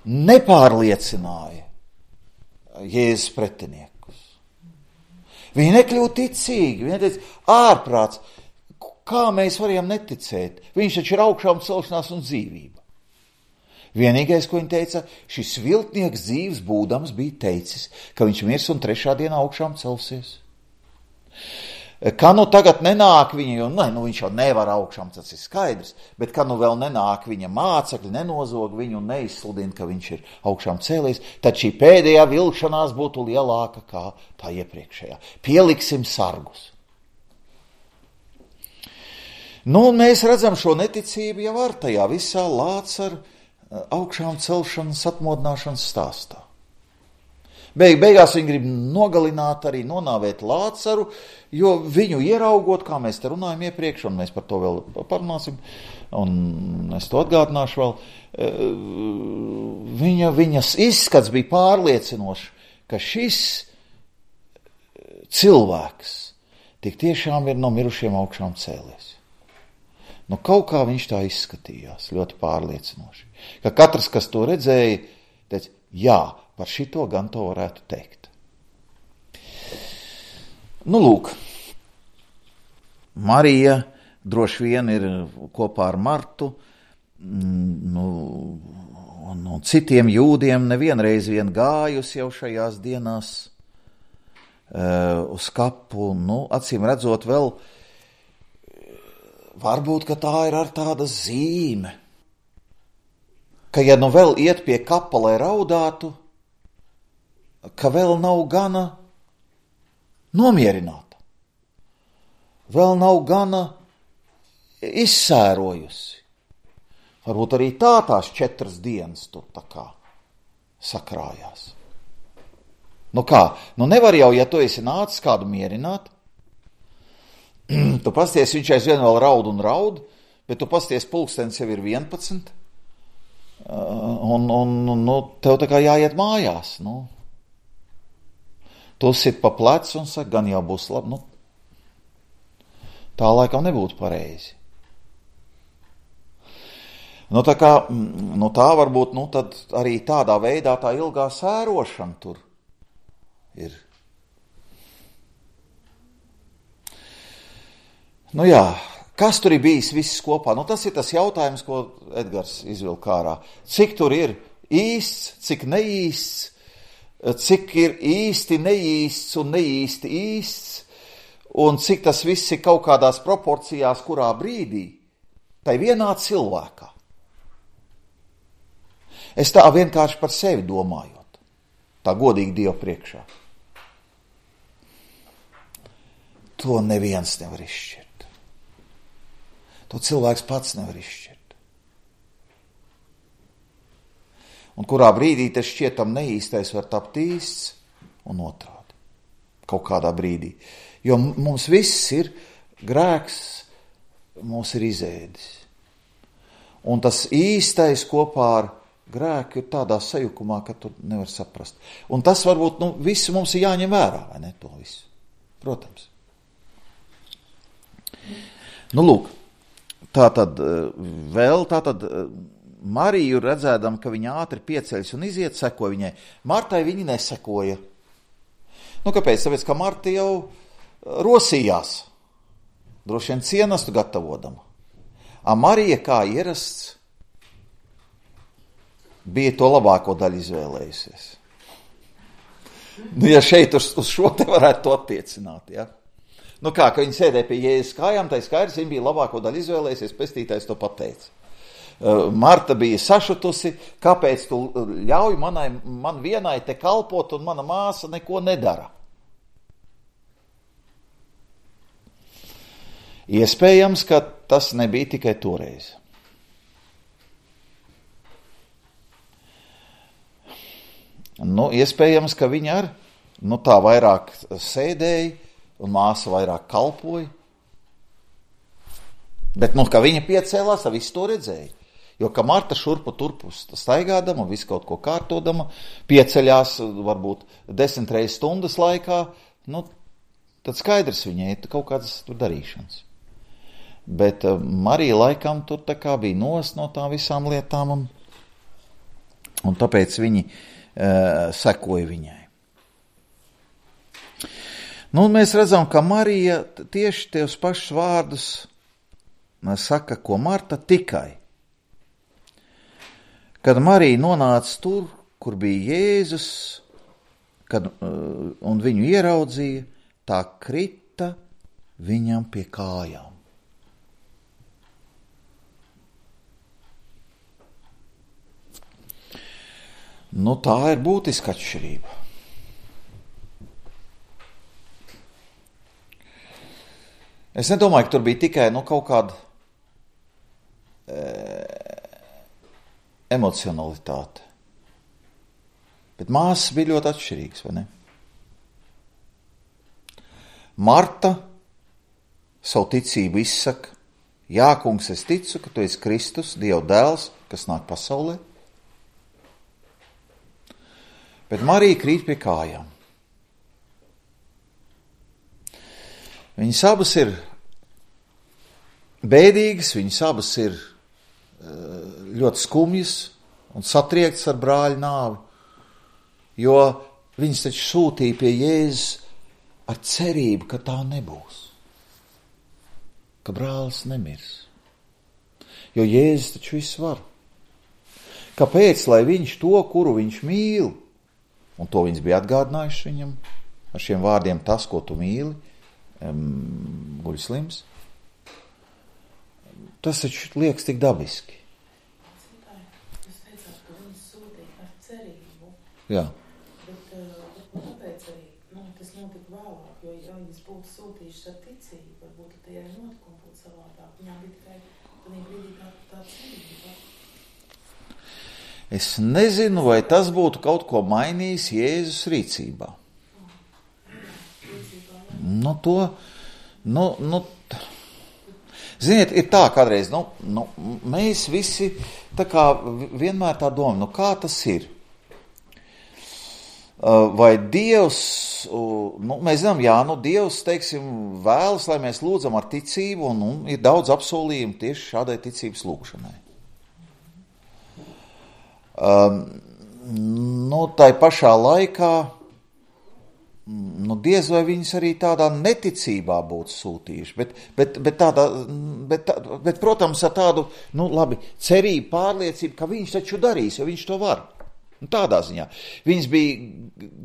nepārliecināja Jēzus pretiniekus. Viņi nekļūtu ticīgi, viņi teica, ārprāts. Kā mēs varējām neticēt? Viņš taču ir augšām celšanās un dzīvība. Vienīgais, ko viņi teica, šis viltnieks dzīves būdams bija teicis, ka viņš mirs un trešā dienā augšām celsies. Kā nu tagad nenāk viņa, jo ne, nu viņš jau nevar augšām, tas ir skaidrs, bet kā nu vēl nenāk viņa mācekļi, nenozog viņu un neizsludina, ka viņš ir augšām cēlies, tad šī pēdējā vilkšanās būtu lielāka kā tā iepriekšējā. Pieliksim sargus. Nu, un mēs redzam šo neticību jau ar tajā visā lācis ar augšām celšanas atmodināšanas stāstā. Beig, beigās viņi grib nogalināt, arī nonāvēt Lācaru, jo viņu ieraugot, kā mēs te runājam iepriekš, un mēs par to vēl parunāsim, un es to atgādināšu vēl, viņa, viņas izskats bija pārliecinošs, ka šis cilvēks tik tiešām ir no mirušiem augšām cēlies. Nu, kaut kā viņš tā izskatījās, ļoti pārliecinoši. Ka katrs, kas to redzēja, teica, jā, par šito gan to varētu teikt. Nu, lūk, Marija droši vien ir kopā ar Martu, nu, un, un citiem jūdiem nevienreiz vien gājusi jau šajās dienās uh, uz kapu, nu, acīm redzot vēl, varbūt, ka tā ir ar tāda zīme, ka ja nu vēl iet pie kapa, lai raudātu, ka vēl nav gana nomierināta, vēl nav gana izsērojusi. Varbūt arī tā tās četras dienas tur tā kā sakrājās. Nu kā, nu nevar jau, ja tu esi nācis kādu mierināt, tu pasties, viņš aizvien vēl raud un raud, bet tu pasties, pulkstens jau ir vienpadsmit, un, un, nu, tev tā kā jāiet mājās, nu. Tu sit pa plecu un saka, gan jau būs labi, nu, tā laikam nebūtu pareizi. Nu, tā kā, nu, tā varbūt, nu, tad arī tādā veidā tā ilgā sērošana tur ir. Nu jā, kas tur ir bijis viss kopā? Nu, tas ir tas jautājums, ko Edgars izvilk ārā. Cik tur ir īsts, cik neīsts, cik ir īsti neīsts un neīsti īsts, un cik tas viss ir kaut kādās proporcijās, kurā brīdī, tai vienā cilvēkā. Es tā vienkārši par sevi domājot, tā godīgi Dievu priekšā. To neviens nevar izšķirt. To cilvēks pats nevar izšķirt. Un kurā brīdī tas šķietam neīstais var tapt īsts un otrādi. Kaut kādā brīdī. Jo mums viss ir grēks, mūs ir izēdis. Un tas īstais kopā ar grēku ir tādā sajukumā, ka tu nevar saprast. Un tas varbūt, nu, visu mums ir jāņem vērā, vai ne, to visu? Protams. Nu, lūk, tā tad vēl, tā tad Mariju redzēdam, ka viņa ātri pieceļas un iziet, sekoja viņai. Martai viņi nesekoja. Nu, kāpēc? Tāpēc, ka Marta jau rosījās. Droši vien cienastu gatavodama. A Marija, kā ierasts, bija to labāko daļu izvēlējusies. Nu, ja šeit uz, uz šo te varētu to attiecināt, ja? Nu kā, ka viņi sēdēja pie Jēzus kājām, tai skaidrs, viņa bija labāko daļu izvēlējusies, pestītājs to pateica. Marta bija sašutusi, kāpēc tu ļauj manai, man vienai te kalpot un mana māsa neko nedara. Iespējams, ka tas nebija tikai toreiz. Nu, iespējams, ka viņa ar, nu, tā vairāk sēdēja un māsa vairāk kalpoja. Bet, nu, ka viņa piecēlās, visu to redzēja. Jo, ka Marta šurpu turpu staigādama, visu kaut ko kārtodama, pieceļās varbūt desmit reizes stundas laikā, nu, tad skaidrs viņai ir kaut kādas tur darīšanas. Bet uh, Marija laikam tur tā kā bija nos no tām visām lietām, un, un tāpēc viņi uh, sekoja viņai. Nu, mēs redzam, ka Marija tieši tos pašus vārdus saka, ko Marta, tikai. Kad Marija nonāca tur, kur bija Jēzus, kad, un viņu ieraudzīja, tā krita viņam pie kājām. Nu, tā ir būtiska atšķirība. Es nedomāju, ka tur bija tikai nu, kaut kāda e, emocionalitāte. Bet māsas bija ļoti atšķirīgas, vai ne? Marta savu ticību izsaka, jā, kungs, es ticu, ka tu esi Kristus, Dieva dēls, kas nāk pasaulē. Bet Marija krīt pie kājām. Viņas abas ir bēdīgas, viņas abas ir ļoti skumjas un satriektas ar brāļa nāvi, jo viņas taču sūtīja pie Jēzus ar cerību, ka tā nebūs, ka brālis nemirs. Jo Jēzus taču viss var. Kāpēc, lai viņš to, kuru viņš mīl, un to viņas bija atgādinājuši viņam ar šiem vārdiem, tas, ko tu mīli, um, guļ slims, tas taču liekas tik dabiski. Jūs teicāt, ka viņas sūtīja ar cerību. Jā. Bet uh, tāpēc arī nu, tas notika vēlāk, jo ja viņas būtu sūtījušas ar ticību, varbūt tie arī notikumi būtu savādāk. Viņām bija tikai tādā brīdī tā, tā cerība. Es nezinu, vai tas būtu kaut ko mainījis Jēzus rīcībā. Nu, to, nu, nu, ziniet, ir tā kādreiz, nu, nu, mēs visi tā kā vienmēr tā domājam, nu, kā tas ir? Vai Dievs, nu, mēs zinām, jā, nu, Dievs, teiksim, vēlas, lai mēs lūdzam ar ticību, un, un ir daudz apsolījumu tieši šādai ticības lūgšanai. Um, nu, tai pašā laikā, nu, diez vai viņas arī tādā neticībā būtu sūtījuši, bet, bet, bet, tādā, bet, bet, protams, ar tādu, nu, labi, cerību, pārliecību, ka viņš taču darīs, jo viņš to var. Nu, tādā ziņā. Viņas bija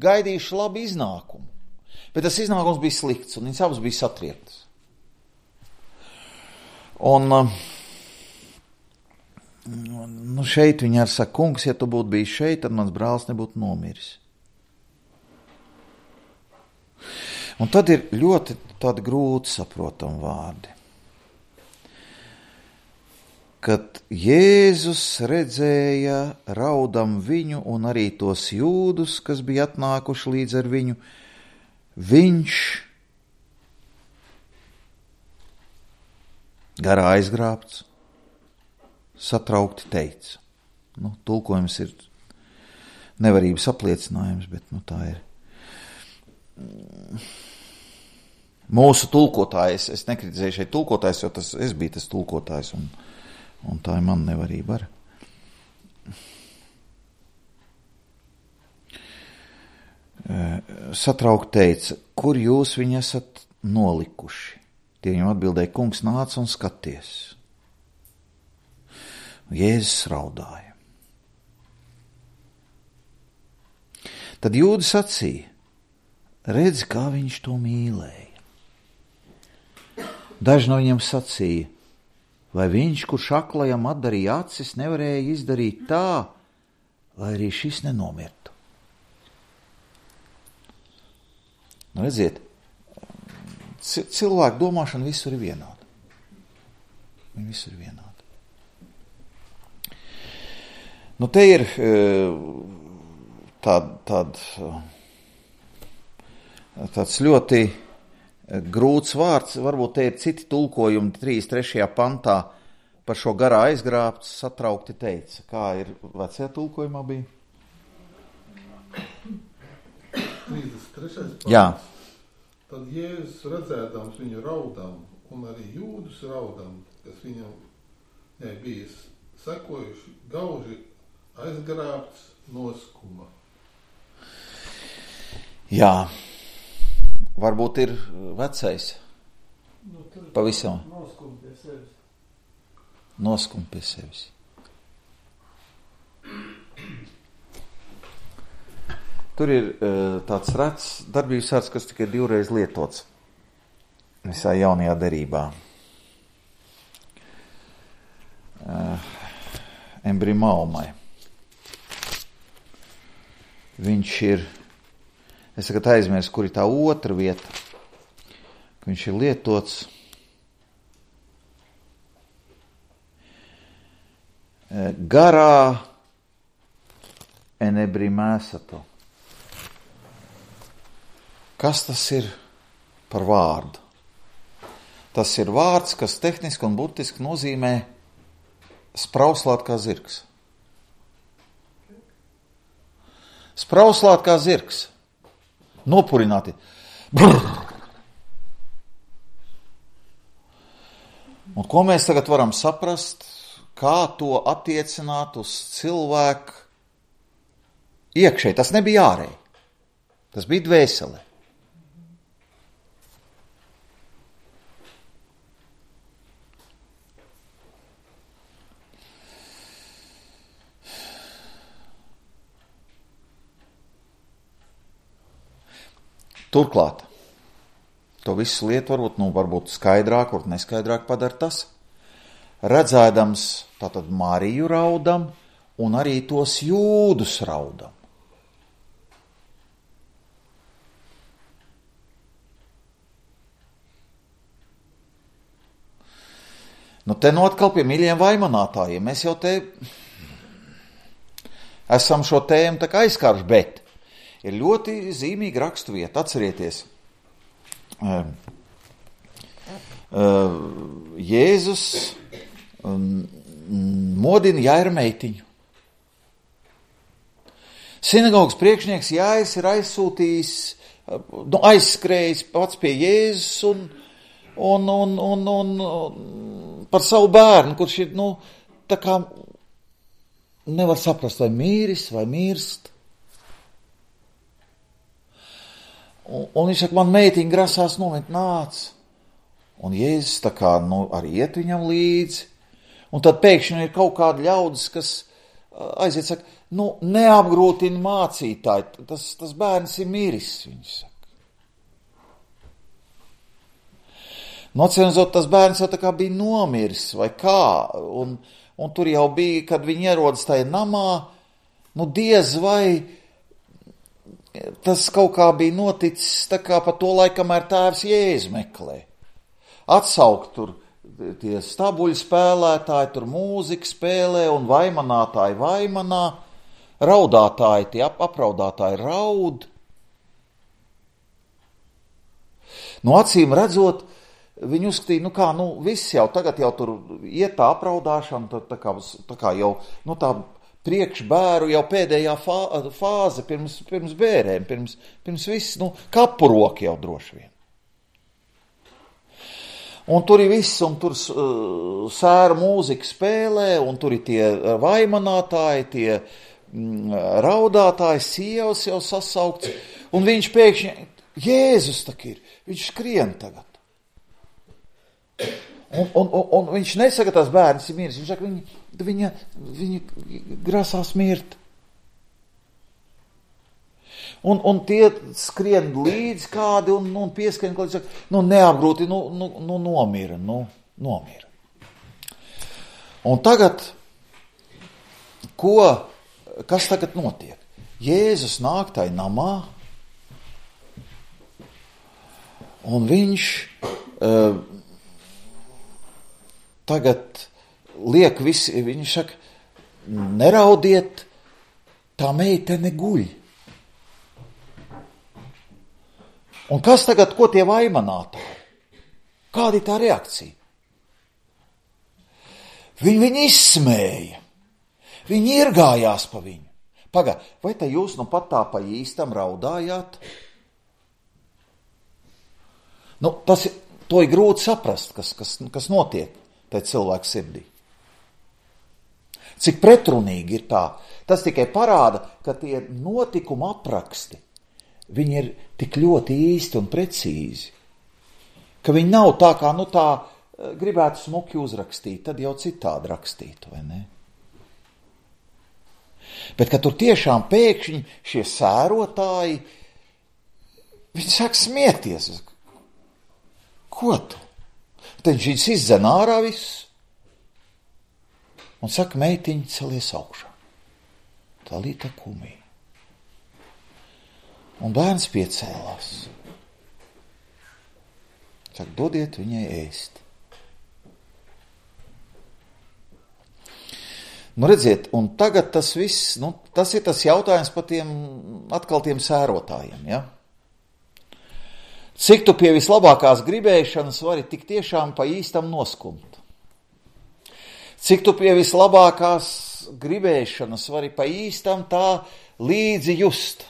gaidījuši labu iznākumu, bet tas iznākums bija slikts, un viņas abas bija satriektas. Un, nu, šeit viņa arī saka, kungs, ja tu būtu bijis šeit, tad mans brālis nebūtu nomiris. Un tad ir ļoti tādi grūti saprotami vārdi. Kad Jēzus redzēja raudam viņu un arī tos jūdus, kas bija atnākuši līdz ar viņu, viņš garā aizgrābts, satraukti teica. Nu, tulkojums ir nevarības apliecinājums, bet nu, tā ir. Mūsu tulkotājs, es nekritizēju šeit tulkotājs, jo tas, es biju tas tulkotājs, un, un tā ir man nevarība ar. Satraukt teica, kur jūs viņu esat nolikuši? Tie viņam atbildēja, kungs, nāc un skaties. Jēzus raudāja. Tad jūdi sacīja, redz, kā viņš to mīlēja. Daži no viņiem sacīja, vai viņš, kurš aklajam atdarīja acis, nevarēja izdarīt tā, lai arī šis nenomirtu. Nu, redziet, cilvēku domāšana visur ir vienāda. Viņi visur ir vienāda. Nu, te ir tād, tād, tāds ļoti grūts vārds, varbūt te ir citi tulkojumi trīsdesmit trešajā pantā par šo garā aizgrābts, satraukti teica. Kā ir vecajā tulkojumā bija? trīsdesmit trešais pants. Jā. Tad Jēzus redzēdams viņu raudam un arī jūdus raudam, kas viņam nebija sekojuši, gauži aizgrābts noskuma. Jā. Varbūt ir vecais. Nu, pavisam. Noskum pie sevis. Noskum pie sevis. Tur ir uh, tāds rets darbības vārds, kas tikai divreiz lietots visā jaunajā derībā. Uh, embrimaumai. Viņš ir, es tagad aizmirsu, kur ir tā otra vieta, ka viņš ir lietots garā enebrimēsato. Kas tas ir par vārdu? Tas ir vārds, kas tehniski un burtiski nozīmē sprauslāt kā zirgs. Sprauslāt kā zirgs. Nopurināti. Brrr. Un ko mēs tagad varam saprast, kā to attiecināt uz cilvēku iekšēji? Tas nebija ārēji. Tas bija dvēselē. Turklāt, to visu lietu varbūt, nu, varbūt skaidrāk, varbūt neskaidrāk padara tas, redzēdams tātad Mariju raudam un arī tos jūdus raudam. Nu, te nu atkal pie mīļiem vaimanātājiem. Mēs jau te esam šo tēmu tā kā aizkāruši, bet ir ļoti zīmīga raksturvieta. Atcerieties, Jēzus modina Jaira meitiņu. Sinagogas priekšnieks Jairs ir aizsūtījis, nu, aizskrējis pats pie Jēzus un, un, un, un, un par savu bērnu, kurš ir, nu, tā kā nevar saprast, vai mīris, vai mirst. Un, un viņš saka, man meitiņa grasās nomirt, nāc. Un Jēzus tā kā, nu, arī iet viņam līdzi. Un tad pēkšņi ir kaut kādi ļaudis, kas aiziet, saka, nu, neapgrūtina mācītāji, tas, tas bērns ir miris, viņš saka. Nocenzot, tas bērns jau tā kā bija nomiris, vai kā, un, un tur jau bija, kad viņi ierodas tajā namā, nu, diez vai tas kaut kā bija noticis tā kā pa to laiku, kamēr tēvs Jēzu meklē. Atsaukt tur tie stabuļu spēlētāji, tur mūzika spēlē un vaimanātāji vaimanā, raudātāji, tie ap, apraudātāji raud. Nu, acīm redzot, viņi uzskatīja, nu kā, nu, viss jau tagad jau tur iet tā apraudāšana, tā, tā, kā, tā kā jau, nu tā priekš bēru jau pēdējā fā, fāze pirms, pirms bērēm, pirms, pirms viss, nu, kapuroki jau droši vien. Un tur ir viss, un tur uh, sēra mūzika spēlē, un tur ir tie vaimanātāji, tie mm, raudātāji, sievas jau sasaukts, un viņš pēkšņi, Jēzus tak ir, viņš skrien tagad. Un, un, un, un viņš nesaka, tas bērns ir miris, viņš saka, viņa, viņa, viņa grasās mirt. Un, un tie skrien līdz kādi un, un pieskrien, kādi saka, nu neapgrūti, nu, nu, nu nomira, nu nomira. Un tagad, ko, kas tagad notiek? Jēzus nāk tai namā, un viņš uh, tagad liek visi, viņš saka, neraudiet, tā meitene guļ. Un kas tagad, ko tie vaimanātāji? Kāda ir tā reakcija? Viņi viņu izsmēja. Viņi irgājās pa viņu. Pagā, vai te jūs nu pat tā pa īstam raudājāt? Nu, tas ir, to ir grūti saprast, kas, kas, kas notiek tai cilvēku sirdī. Cik pretrunīgi ir tā. Tas tikai parāda, ka tie notikuma apraksti, viņi ir tik ļoti īsti un precīzi, ka viņi nav tā kā, nu tā, gribētu smuki uzrakstīt, tad jau citādi rakstītu, vai ne? Bet, ka tur tiešām pēkšņi šie sērotāji, viņi sāk smieties. Ko tu? Tad viņš izdzen ārā viss un saka, meitiņi, celies augšā. Talita kumī. Un bērns piecēlās. Saka, dodiet viņai ēst. Nu, redziet, un tagad tas viss, nu, tas ir tas jautājums par tiem, atkal tiem sērotājiem, ja? Cik tu pie vislabākās gribēšanas vari tik tiešām pa īstam noskumt? Cik tu pie vislabākās gribēšanas vari pa īstam tā līdzi just.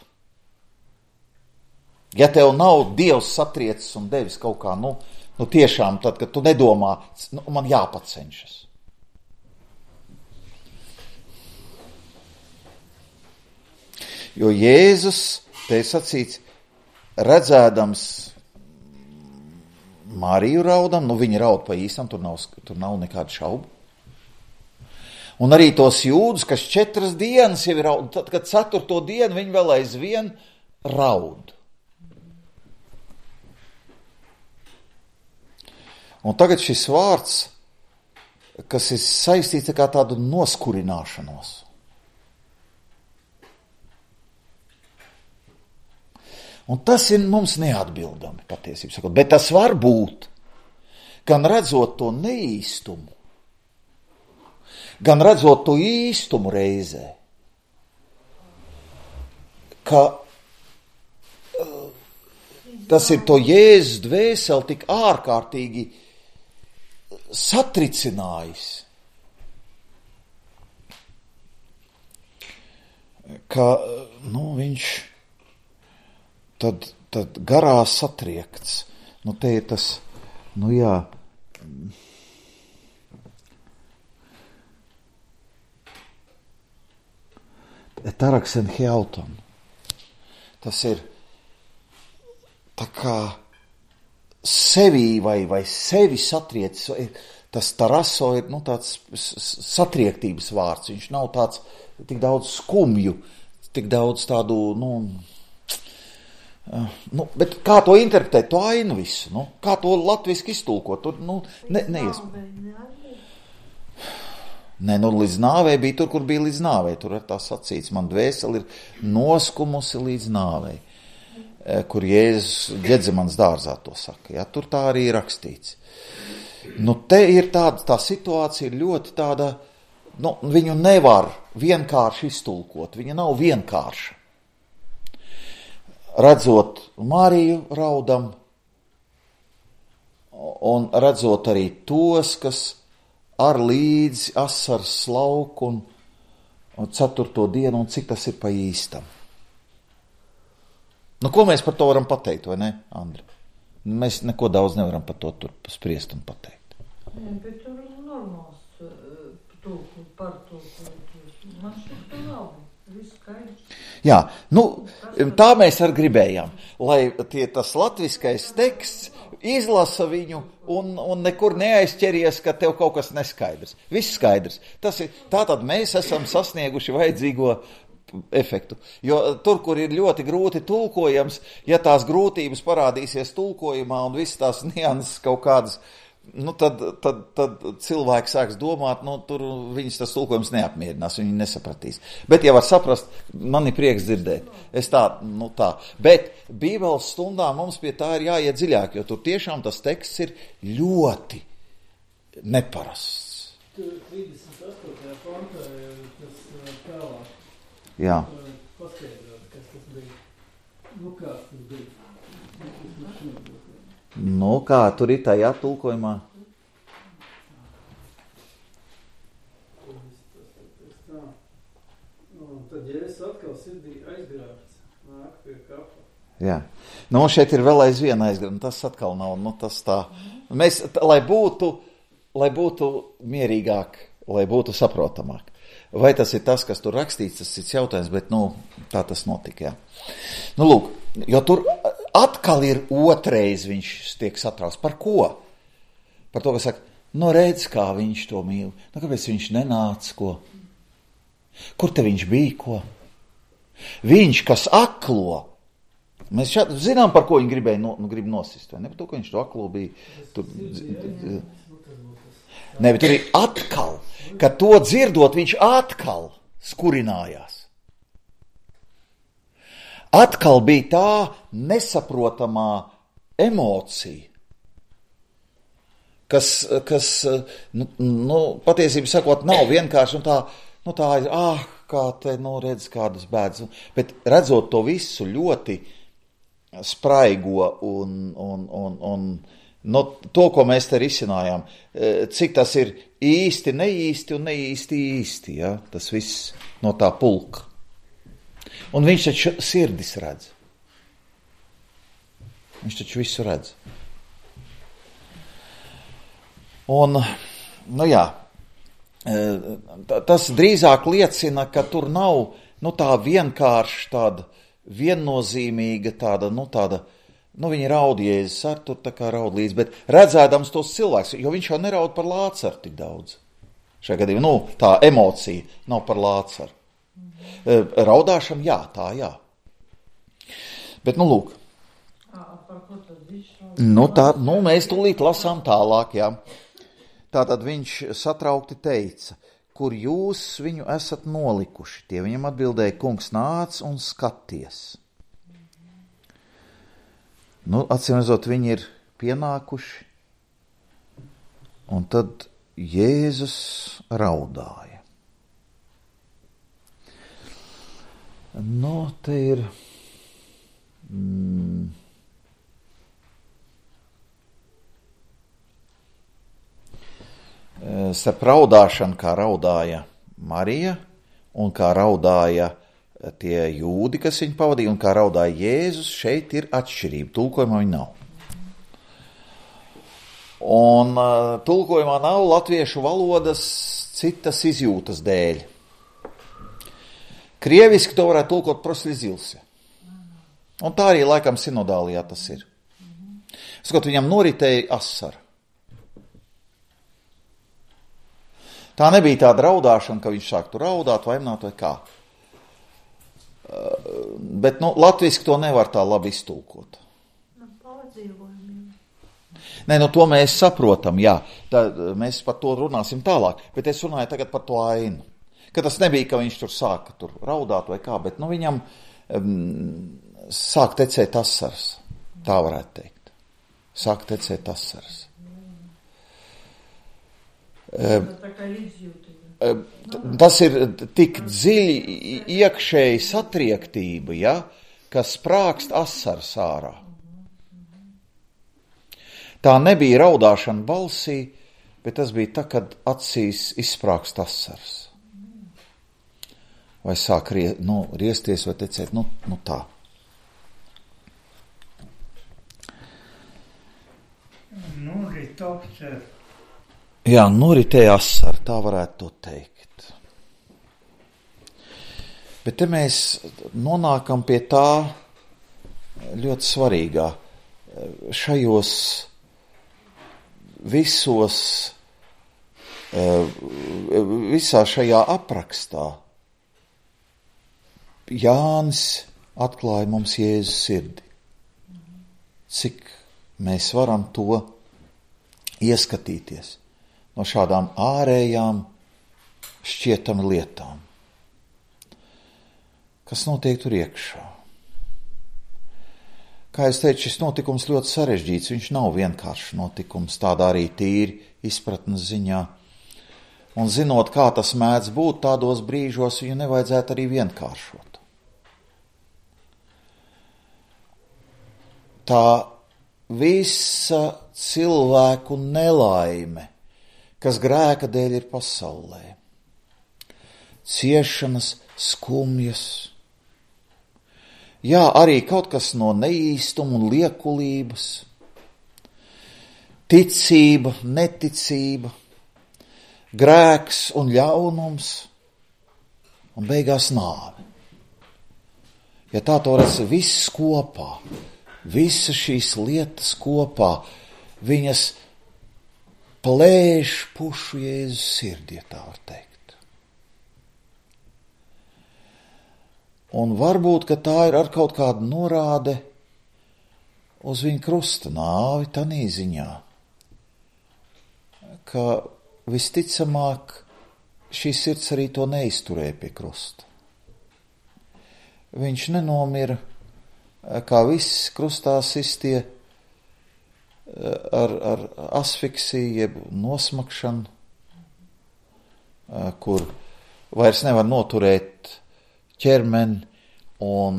Ja tev nav Dievs satriecis un devis kaut kā, nu, nu tiešām tad, kad tu nedomā, nu, man jāpacenšas. Jo Jēzus, te ir sacīts, redzēdams Mariju raudam, nu viņa raud pa īstam, tur nav, tur nav nekāda šaubu. Un arī tos jūdus, kas četras dienas jau ir raud, tad, kad ceturto dienu viņi vēl aizvien raud. Un tagad šis vārds, kas ir saistīts kā tādu noskurināšanos. Un tas ir mums neatbildami, patiesībā sakot, bet tas var būt, gan redzot to neīstumu, gan redzot to īstumu reizē, ka uh, tas ir to Jēzus dvēseli tik ārkārtīgi satricinājis, ka, nu, viņš tad, tad garā satriekts. Nu, te ir tas, nu jā, taraksen hjauton. Tas ir tā kā sevī vai, vai sevi satriecis. Tas taraso ir, nu, tāds satriektības vārds. Viņš nav tāds tik daudz skumju, tik daudz tādu, nu, uh, nu bet kā to interpretēt, to ainu visu, nu, kā to latviski iztulkot, tur, nu, ne, neiespējami. Nē, nu, līdz nāvei bija tur, kur bija līdz nāvei, tur ir tā sacīts, man dvēseli ir noskumusi līdz nāvei, kur Jēzus Ģedzemanas dārzā to saka, ja, tur tā arī ir rakstīts. Nu, te ir tāda, tā situācija ir ļoti tāda, nu, viņu nevar vienkārši iztulkot, viņa nav vienkārša. Redzot Mariju raudam, un redzot arī tos, kas ar līdzi asaras slauku un, un ceturto dienu, un cik tas ir pa īstam. Nu, ko mēs par to varam pateikt, vai ne, Andri? Mēs neko daudz nevaram par to tur spriest un pateikt. Jā, bet tur ir normāls tūku, par tūku. Man šeit labi, viss skaidrs. Jā, nu, tā mēs arī gribējām, lai tie, tas latviskais teksts izlasa viņu un, un nekur neaizķeries, ka tev kaut kas neskaidrs. Viss skaidrs. Tas ir, tātad mēs esam sasnieguši vajadzīgo efektu. Jo tur, kur ir ļoti grūti tulkojams, ja tās grūtības parādīsies tulkojumā un visas tās nianses kaut kādas, nu tad, tad, tad cilvēks sāks domāt, nu tur viņas tas tulkojums neapmierinās, viņi nesapratīs. Bet, ja var saprast, man ir prieks dzirdēt. Es tā, nu tā. Bet Bībeles stundā mums pie tā ir jāiet dziļāk, jo tur tiešām tas teksts ir ļoti neparasts. Tur trīsdesmit astotajā pantā ir tas tālāk. Jā. Paskaidrot, kas tas bija. Nu, kā tas bija? Nu, kā tur ir tajā tulkojumā? Tā. Nu, tad Jēzus atkal sirdī aizgrābts, nāk pie kapa. Jā. Nu, šeit ir vēl aizvien aizgrābts, tas atkal nav, nu, tas tā. Mēs, t- lai būtu, lai būtu mierīgāk, lai būtu saprotamāk. Vai tas ir tas, kas tur rakstīts, tas ir jautājums, bet, nu, tā tas notika, jā. Nu, lūk, jo tur atkal ir otrais viņš tiek satrauks. Par ko? Par to, ka saka, nu, redz, kā viņš to mīl. Nu, kāpēc viņš nenāca, ko? Kur te viņš bija, ko? Viņš, kas aklo. Mēs šādi zinām, par ko viņi gribēja no, nu, grib nosist, vai ne? Par to, ka viņš to aklo bija. Tur, ne, bet tur ir atkal, ka to dzirdot, viņš atkal skurinājās. Atkal bija tā nesaprotamā emocija, kas, kas nu, nu, patiesībā sakot, nav vienkārši, un tā, nu tā ir, ah, kā te, nu, redz kādas bēdas, bet redzot to visu ļoti spraigo un, un, un, un no to, ko mēs te risinājām, cik tas ir īsti, neīsti un neīsti īsti, ja? Tas viss no tā pulka. Un viņš taču sirdis redz. Viņš taču visu redz. Un, nu jā, tas drīzāk liecina, ka tur nav, nu tā vienkārši tāda viennozīmīga tāda, nu tāda, nu viņi raud Jēzus ar tur tā kā raud līdz, bet redzēdams tos cilvēks, jo viņš jau neraud par Lācaru tik daudz. Šajā gadījumā, nu tā emocija nav par Lācaru. Raudāšana, jā, tā, jā. Bet, nu lūk. Nu tā, nu mēs tūlīt lasām tālāk, jā. Tātad viņš satraukti teica, kur jūs viņu esat nolikuši. Tie viņam atbildēja, kungs nāc un skaties. Nu, acīm redzot, viņi ir pienākuši, un tad Jēzus raudāja. Nu, te ir... Mm, starp raudāšanu, kā raudāja Marija, un kā raudāja tie jūdi, kas viņu pavadīja, un kā raudāja Jēzus, šeit ir atšķirība. Tulkojumā viņa nav. Un uh, tulkojumā nav latviešu valodas citas izjūtas dēļ. Krieviski to varētu tulkot prosli zilse. Un tā arī laikam sinodālijā tas ir. Skot, viņam noritēja asara. Tā nebija tāda raudāšana, ka viņš sāktu raudāt, vaimināt vai kā. Uh, bet, nu, latviski to nevar tā labi iztulkot. Nē, nu, to mēs saprotam, jā. Tā, mēs par to runāsim tālāk, bet es runāju tagad par to ainu. Ka tas nebija, ka viņš tur sāka tur raudāt vai kā, bet, nu, viņam um, sāk tecēt asars. Tā varētu teikt. Sāk tecēt asars. Tas ir tik dziļi iekšēji satriektība, ja, kas sprākst asars ārā. Tā nebija raudāšana balsī, bet tas bija tā, kad acīs izsprākst asars. Vai sāk rie, nu, riesties vai tecēt, nu, nu tā. Nu, ritopcer. Jā, noritēja asar, tā varētu to teikt. Bet te mēs nonākam pie tā ļoti svarīgā. Šajos visos, visā šajā aprakstā Jānis atklāja mums Jēzus sirdi. Cik mēs varam to ieskatīties no šādām ārējām šķietami lietām. Kas notiek tur iekšā? Kā es teicu, šis notikums ļoti sarežģīts, viņš nav vienkāršs notikums, tādā arī tīri izpratnes ziņā. Un zinot, kā tas mēdz būt, tādos brīžos viņu nevajadzētu arī vienkāršot. Tā visa cilvēku nelaime, kas grēka dēļ ir pasaulē. Ciešanas, skumjas. Jā, arī kaut kas no neīstuma un liekulības. Ticība, neticība. Grēks un ļaunums. Un beigās nāve. Ja tā to redz viss kopā, visas šīs lietas kopā, viņas plēš pušu Jēzus sirdī, ja tā var teikt. Un varbūt, ka tā ir ar kaut kādu norāde uz viņa krusta nāvi tanī ziņā, ka visticamāk šī sirds arī to neizturēja pie krusta. Viņš nenomira, kā viss krustā sistie, ar, ar asfiksiju, jeb nosmakšanu, kur vairs nevar noturēt ķermeni un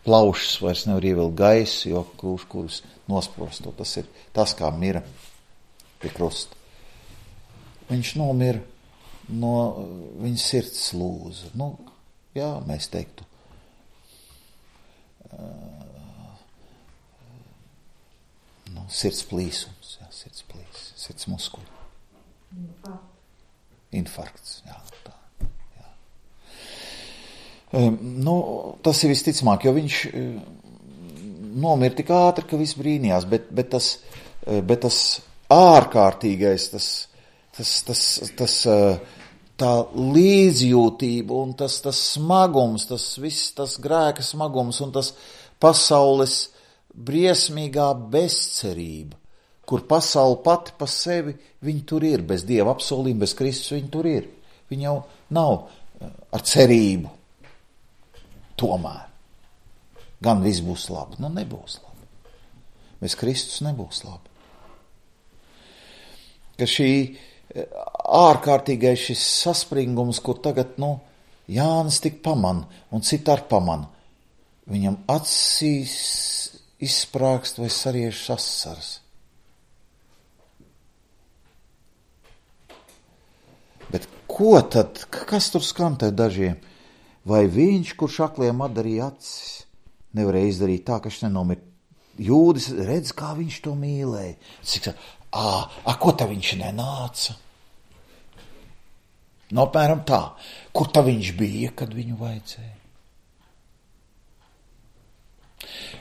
plaušas vairs nevar ievilkt gaisu, jo krūš, kurus nosprosto. Tas ir tas, kā mira pie krusta. Viņš nomira no viņa sirds lūza. Nu, jā, mēs teiktu, nu, sirds plīsums, jā, sirds plīs, sirds muskuļi. Infarkts. Infarkts, jā, tā, jā. Nu, tas ir visticamāk, jo viņš nomira tik ātri, ka viss brīnījās, bet, bet, tas, bet tas ārkārtīgais, tas, tas, tas, tas, tā līdzjūtība un tas, tas smagums, tas viss, tas grēka smagums un tas pasaules briesmīgā bezcerība, kur pasaule pati pa sevi, viņi tur ir, bez Dieva apsolījuma, bez Kristus viņi tur ir. Viņi jau nav ar cerību. Tomēr. Gan viss būs labi. Nu, nebūs labi. Bez Kristus nebūs labi. Ka šī ārkārtīgais šis saspringums, kur tagad, nu, Jānis tik paman un citi ar paman, viņam acīs izsprāgst vai sariežas asaras. Bet ko tad, kas tur skan te dažiem? Vai viņš, kurš akliem atdarīja acis, nevarēja izdarīt tā, ka viņš nenomir? Jūdis redz, kā viņš to mīlēja. Cik, ā, a, ko tā viņš nenāca? No, apmēram tā. Kur tā viņš bija, kad viņu vajadzēja?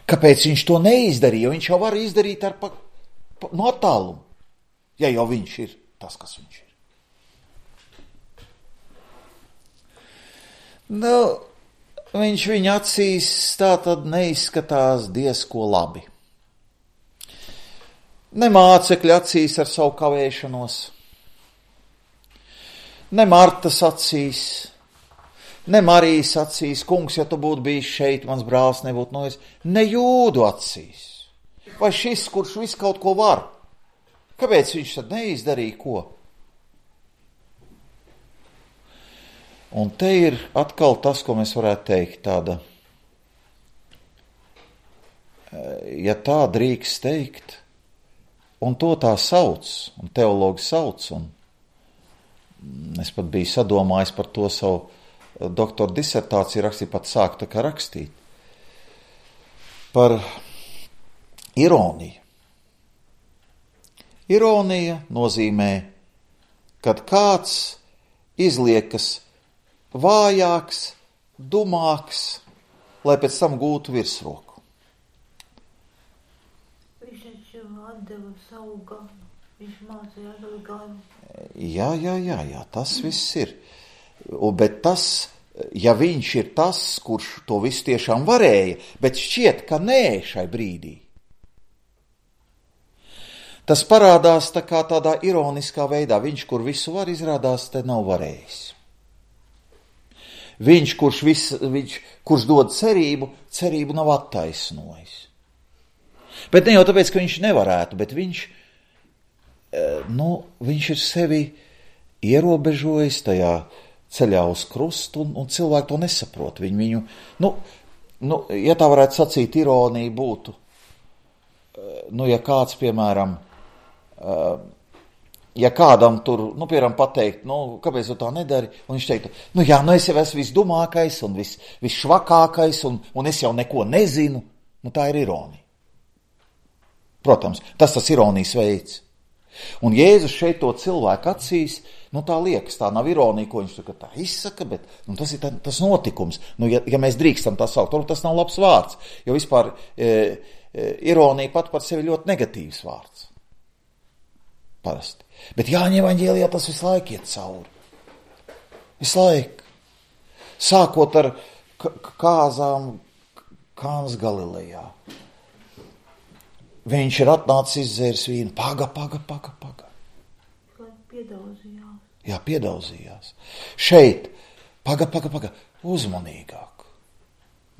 Kāpēc viņš to neizdarīja? Viņš jau var izdarīt ar pa, pa, no attālumu, ja jau viņš ir tas, kas viņš ir. Nu, viņš viņa acīs tā tad neizskatās diezko labi. Ne mācekļa acīs ar savu kavēšanos, ne Martas acīs, ne Marijas acīs, kungs, ja tu būtu bijis šeit, mans brālis nebūtu noies, ne Jūdu acīs. Vai šis, kurš visu kaut ko var? Kāpēc viņš tad neizdarīja ko? Un te ir atkal tas, ko mēs varētu teikt, tāda, ja tā drīkst teikt, un to tā sauc, un teologi sauc, un es pat biju sadomājis par to savu doktora disertāciju rakstīt, pat sākt tā kā rakstīt, par ironiju. Ironija nozīmē, kad kāds izliekas vājāks, dumāks, lai pēc tam gūtu virsroku. Viņš taču atdeva savu ganu. Viņš mācīja atdeva ganu. Jā, jā, jā, jā, tas viss ir. Bet tas, ja viņš ir tas, kurš to visu tiešām varēja, bet šķiet, ka nē šai brīdī. Tas parādās tā kā tādā ironiskā veidā. Viņš, kur visu var, izrādās, te nav varējis. Viņš, kurš, vis, viņš, kurš dod cerību, cerību nav attaisnojis. Bet ne jau tāpēc, ka viņš nevarētu, bet viņš, nu, viņš ir sevi ierobežojis tajā ceļā uz krustu, un, un cilvēki to nesaprot. Viņu, viņu, nu, nu, ja tā varētu sacīt, ironija būtu, nu, ja kāds, piemēram, ja kādam tur, nu, piemēram, pateikt, nu, kāpēc tu tā nedari, un viņš teiktu, nu, jā, nu, es jau esmu visdumākais un vis, visšvakākais, un, un es jau neko nezinu, nu, tā ir ironija. Protams, tas tas ironijas veids. Un Jēzus šeit to cilvēku acīs, nu, tā liekas, tā nav ironija, ko viņš tā izsaka, bet, nu, tas ir tā, tas notikums. Nu, ja, ja mēs drīkstam tā saukt, varbūt tas nav labs vārds, jo vispār e, e, ironija pat par sevi ļoti negatīvs vārds. Parasti. Bet Jāņa evaņģēlijā tas visu laiku iet cauri. Visu laiku. Sākot ar kāzām Kānas Galilejā. Viņš ir atnācis izdzēris vīnu. Paga, paga, paga, paga. Piedaudzījās. Jā, piedaudzījās. Šeit, paga, paga, paga, uzmanīgāk,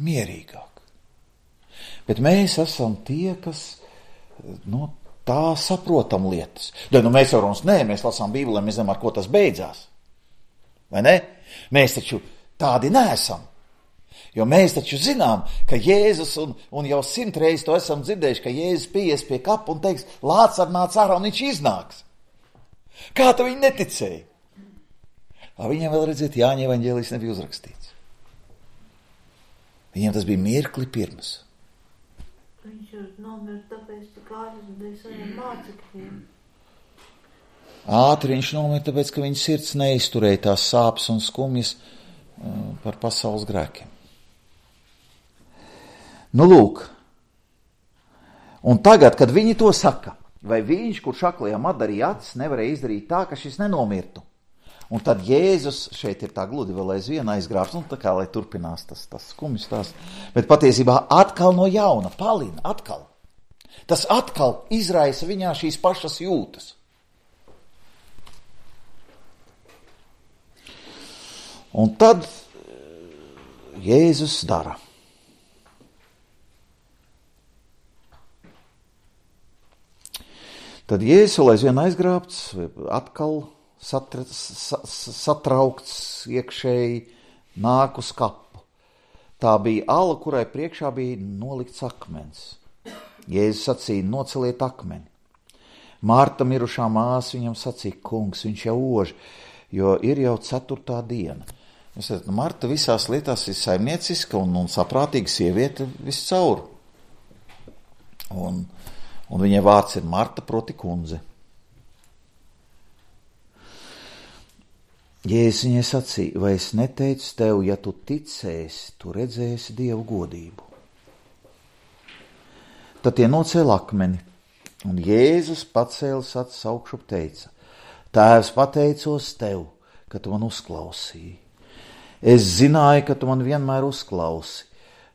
mierīgāk. Bet mēs esam tie, kas, nu, tā saprotam lietas. Da, nu, mēs varam, nē, mēs lasām Bībelē, mēs zinām, ar ko tas beidzās. Vai ne? Mēs taču tādi neesam. Jo mēs taču zinām, ka Jēzus, un, un jau simt reizes to esam dzirdējuši, ka Jēzus pieies pie kapa un teiks, lāc ar nāc ārā, un viņš iznāks. Kā tu viņi neticēja? Viņam vēl redzēt, Jāņa evaņģēlijs nebija uzrakstīts. Viņiem tas bija mirkli pirms. Viņš ir nomirt, tāpēc tik ātri dēļ saviem mācekļiem. Ātri viņš nomirt, tāpēc, ka viņa sirds neizturēja tās sāpes un skumjas par pasaules grēkiem. Nu, lūk. Un tagad, kad viņi to saka, vai viņš, kurš aklajam atdarīja acis, nevarēja izdarīt tā, ka šis nenomirtu. Un tad Jēzus, šeit ir tā gludi vēl aizvien aizgrābs, nu tā kā, lai turpinās tas, tas skumjas tās, bet patiesībā atkal no jauna, palina, atkal. Tas atkal izraisa viņā šīs pašas jūtas. Un tad Jēzus dara. Tad Jēzus vēl aizvien aizgrābts, atkal satra, satraukts iekšēji, nāk uz kapu. Tā bija ala, kurai priekšā bija nolikts akmens. Jēzus sacīja, noceliet akmeni. Marta, mirušā māsa, viņam sacīja, kungs, viņš jau ož, jo ir jau ceturtā diena. Jūs redzat, Marta visās lietās ir saimnieciska un, un saprātīga sieviete viscaur. Un, un viņai vārds ir Marta, proti kundze. Jēzus viņai sacīja, vai es neteicu tev, ja tu ticēsi, tu redzēsi Dievu godību. Tad tie nocēla akmeni, un Jēzus pacēlis acis augšup teica, Tēvs, pateicos tev, ka tu man uzklausīji. Es zināju, ka tu man vienmēr uzklausi,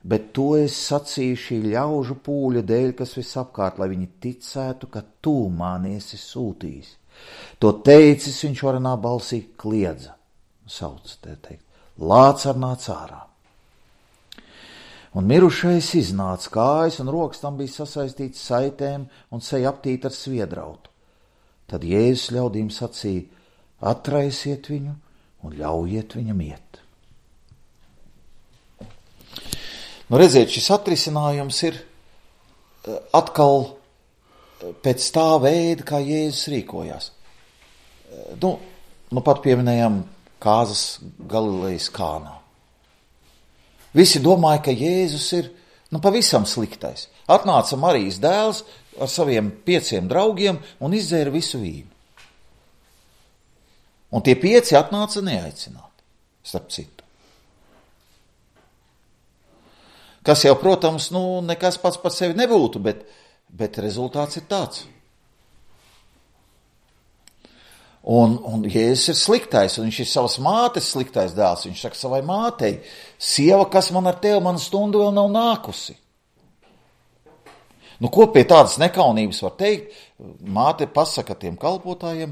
bet to es sacīju šī ļaužu pūļa dēļ, kas visapkārt, lai viņi ticētu, ka tu mani esi sūtījis. To teicis, viņš varenā balsī kliedza, sauc, te teikt, Lācar nāc ārā. Un mirušais iznāca, kājas un rokas tam bija sasaistīts saitēm un seja aptīta ar sviedrautu. Tad Jēzus ļaudīm sacīja, atraisiet viņu un ļaujiet viņam iet. Nu, redziet, šis atrisinājums ir atkal pēc tā veida, kā Jēzus rīkojās. Nu, nu pat pieminējām kāzas Galilejas Kānā. Visi domāja, ka Jēzus ir nu, pavisam sliktais. Atnāca Marijas dēls ar saviem pieciem draugiem un izdzēra visu vīnu. Un tie pieci atnāca neaicināti, starp citu. Kas jau, protams, nu, nekas pats par sevi nebūtu, bet, bet rezultāts ir tāds. Un, un Jēzus ir sliktais, un viņš ir savas mātes sliktais dēls. Viņš saka savai mātei, sieva, kas man ar tevi, mana stunda vēl nav nākusi. Nu, ko pie tādas nekaunības var teikt? Māte pasaka tiem kalpotājiem,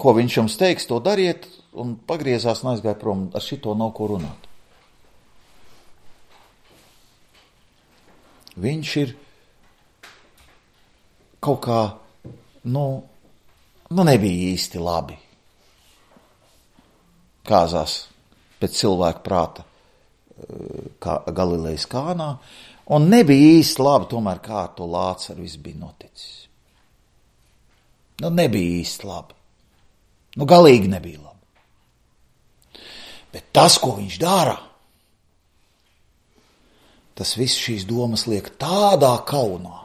ko viņš jums teiks, to dariet, un pagriezās un aizgāja prom, ar šito nav ko runāt. Viņš ir kaut kā, nu, nu nebija īsti labi. Kāzās pēc cilvēka prāta kā Galilejas Kānā, un nebija īsti labi tomēr, kā ar to Lācaru viss bija noticis. Nu, nebija īsti labi. Nu, galīgi nebija labi. Bet tas, ko viņš dara, tas viss šīs domas liek tādā kaunā,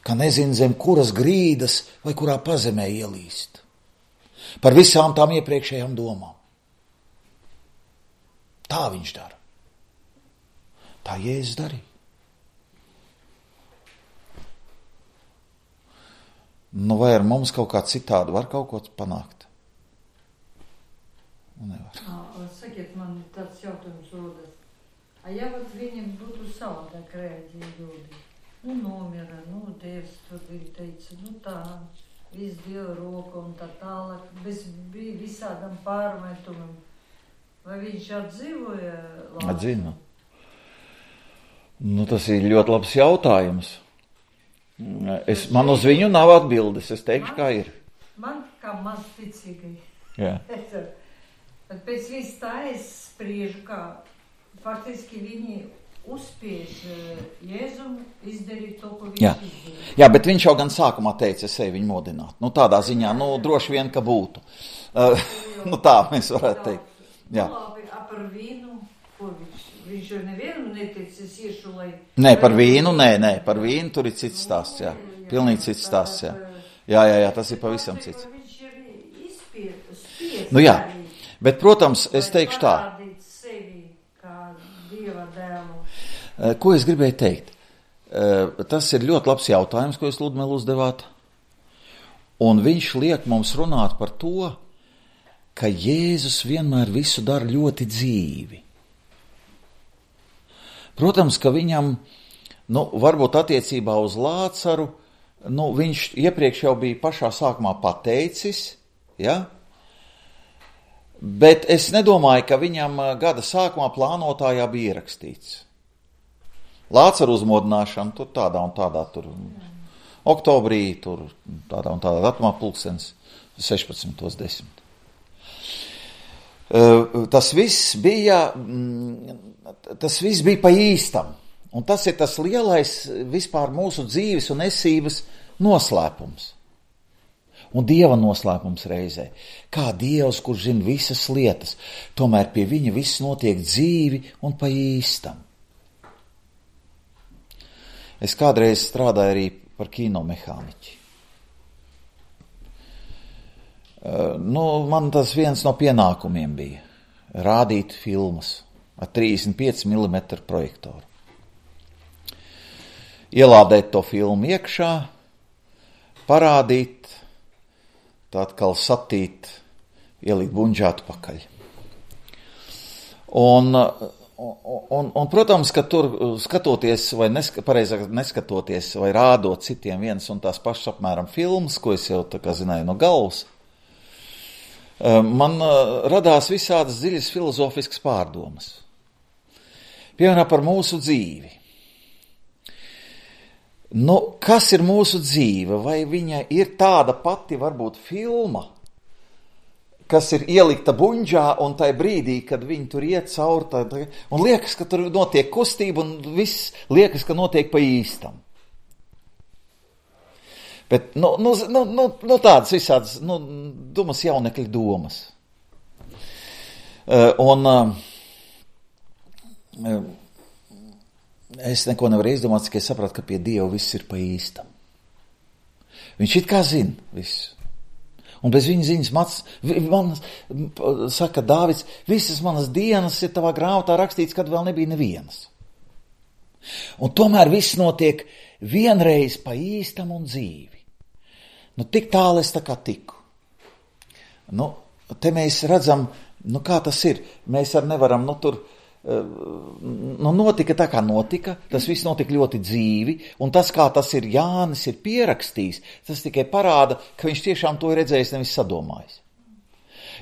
ka nezin zem kuras grīdas vai kurā pazemē ielīst. Par visām tām iepriekšējām domām. Tā viņš dara. Tā Jēzus darīja. Nu, vai ar mums kaut kā citādi var kaut ko panākt? Nevar. Sakiet, man tāds jautājums rodas. A ja vat viņiem būtu savādāk rēģi ljudi? Nu, nomira, nu, Dievs tur bija teica, nu tā, viss Dieva roka un tā tālāk, bez bija visādam pārmetumam. Vai viņš atdzīvoja? Atzina. Nu, tas ir ļoti labs jautājums. Es, man uz viņu nav atbildes, es teikšu, man, kā ir. Man kā maz ticīgai. Jā. Bet pēc viss tā es spriežu, kā faktiski viņi uzspiež Jēzum izdarīt to, ko viņš Jā. izdarīja. Jā, bet viņš jau gan sākumā teica, es eju viņu modināt. Nu, tādā ziņā, nu, droši vien, ka būtu. Uh, nu, tā mēs varētu teikt. Jā. Nu, labi, par vīnu. ko viņš, viņš jau nevienu neteicis iešu, lai... Nē, par vīnu, nē, nē, par vīnu tur ir cits stāsts, jā. Pilnīgi cits stāsts, jā. Jā, jā, jā, tas ir pavisam cits. Viņš ir izspiet, spies. Nu jā, bet, protams, es teikšu tā. Parādīt sevi kā Dieva dēlu. Ko es gribēju teikt? Tas ir ļoti labs jautājums, ko jūs Ludmila uzdevāt. Un viņš liek mums runāt par to, ka Jēzus vienmēr visu dara ļoti dzīvi. Protams, ka viņam, nu, varbūt attiecībā uz Lācaru, nu, viņš iepriekš jau bija pašā sākumā pateicis, ja? Bet es nedomāju, ka viņam gada sākumā plānotājā bija ierakstīts. Lācaru uzmodināšana, tur tādā un tādā, tur oktobrī, tur tādā un tādā datumā pulkstens sešpadsmitos desmit. Tas viss bija, tas viss bija pa īstam, un tas ir tas lielais vispār mūsu dzīves un esības noslēpums. Un Dieva noslēpums reizē. Kā Dievs, kurš zina visas lietas, tomēr pie viņa viss notiek dzīvi un pa īstam. Es kādreiz strādāju arī par kinomehāniķi. Nu, man tas viens no pienākumiem bija rādīt filmas ar trīsdesmit pieci milimetru projektoru. Ielādēt to filmu iekšā, parādīt, tā atkal satīt, ielikt buņģā atpakaļ. Un, un, un, protams, ka tur skatoties, vai neska, pareizāk neskatoties, vai rādot citiem viens un tās pašas apmēram filmas, ko es jau tā kā zināju no galvas, man radās visādas dziļas filozofiskas pārdomas. Piemēram, par mūsu dzīvi. Nu, kas ir mūsu dzīve? Vai viņa ir tāda pati, varbūt, filma, kas ir ielikta buņģā un tai brīdī, kad viņi tur iet cauri, tā, tā, un liekas, ka tur notiek kustība un viss liekas, ka notiek pa īstam. Bet, nu, nu, nu, nu, nu tādas visādas, nu, dumas jaunekļa domas. Uh, un uh, es neko nevaru izdomāt, tikai sapratu, ka pie Dieva viss ir pa īstam. Viņš it kā zina visu. Un bez viņa ziņas mats, manas, saka Dāvids, visas manas dienas ir tavā grāmatā rakstīts, kad vēl nebija nevienas. Un tomēr viss notiek vienreiz pa īstam un dzīvi. Nu, tik tālu es tā kā tiku. Nu, te mēs redzam, nu, kā tas ir. Mēs ar nevaram, nu, tur, nu, notika tā kā notika, tas viss notika ļoti dzīvi, un tas, kā tas ir Jānis ir pierakstījis, tas tikai parāda, ka viņš tiešām to ir redzējis, nevis sadomājis.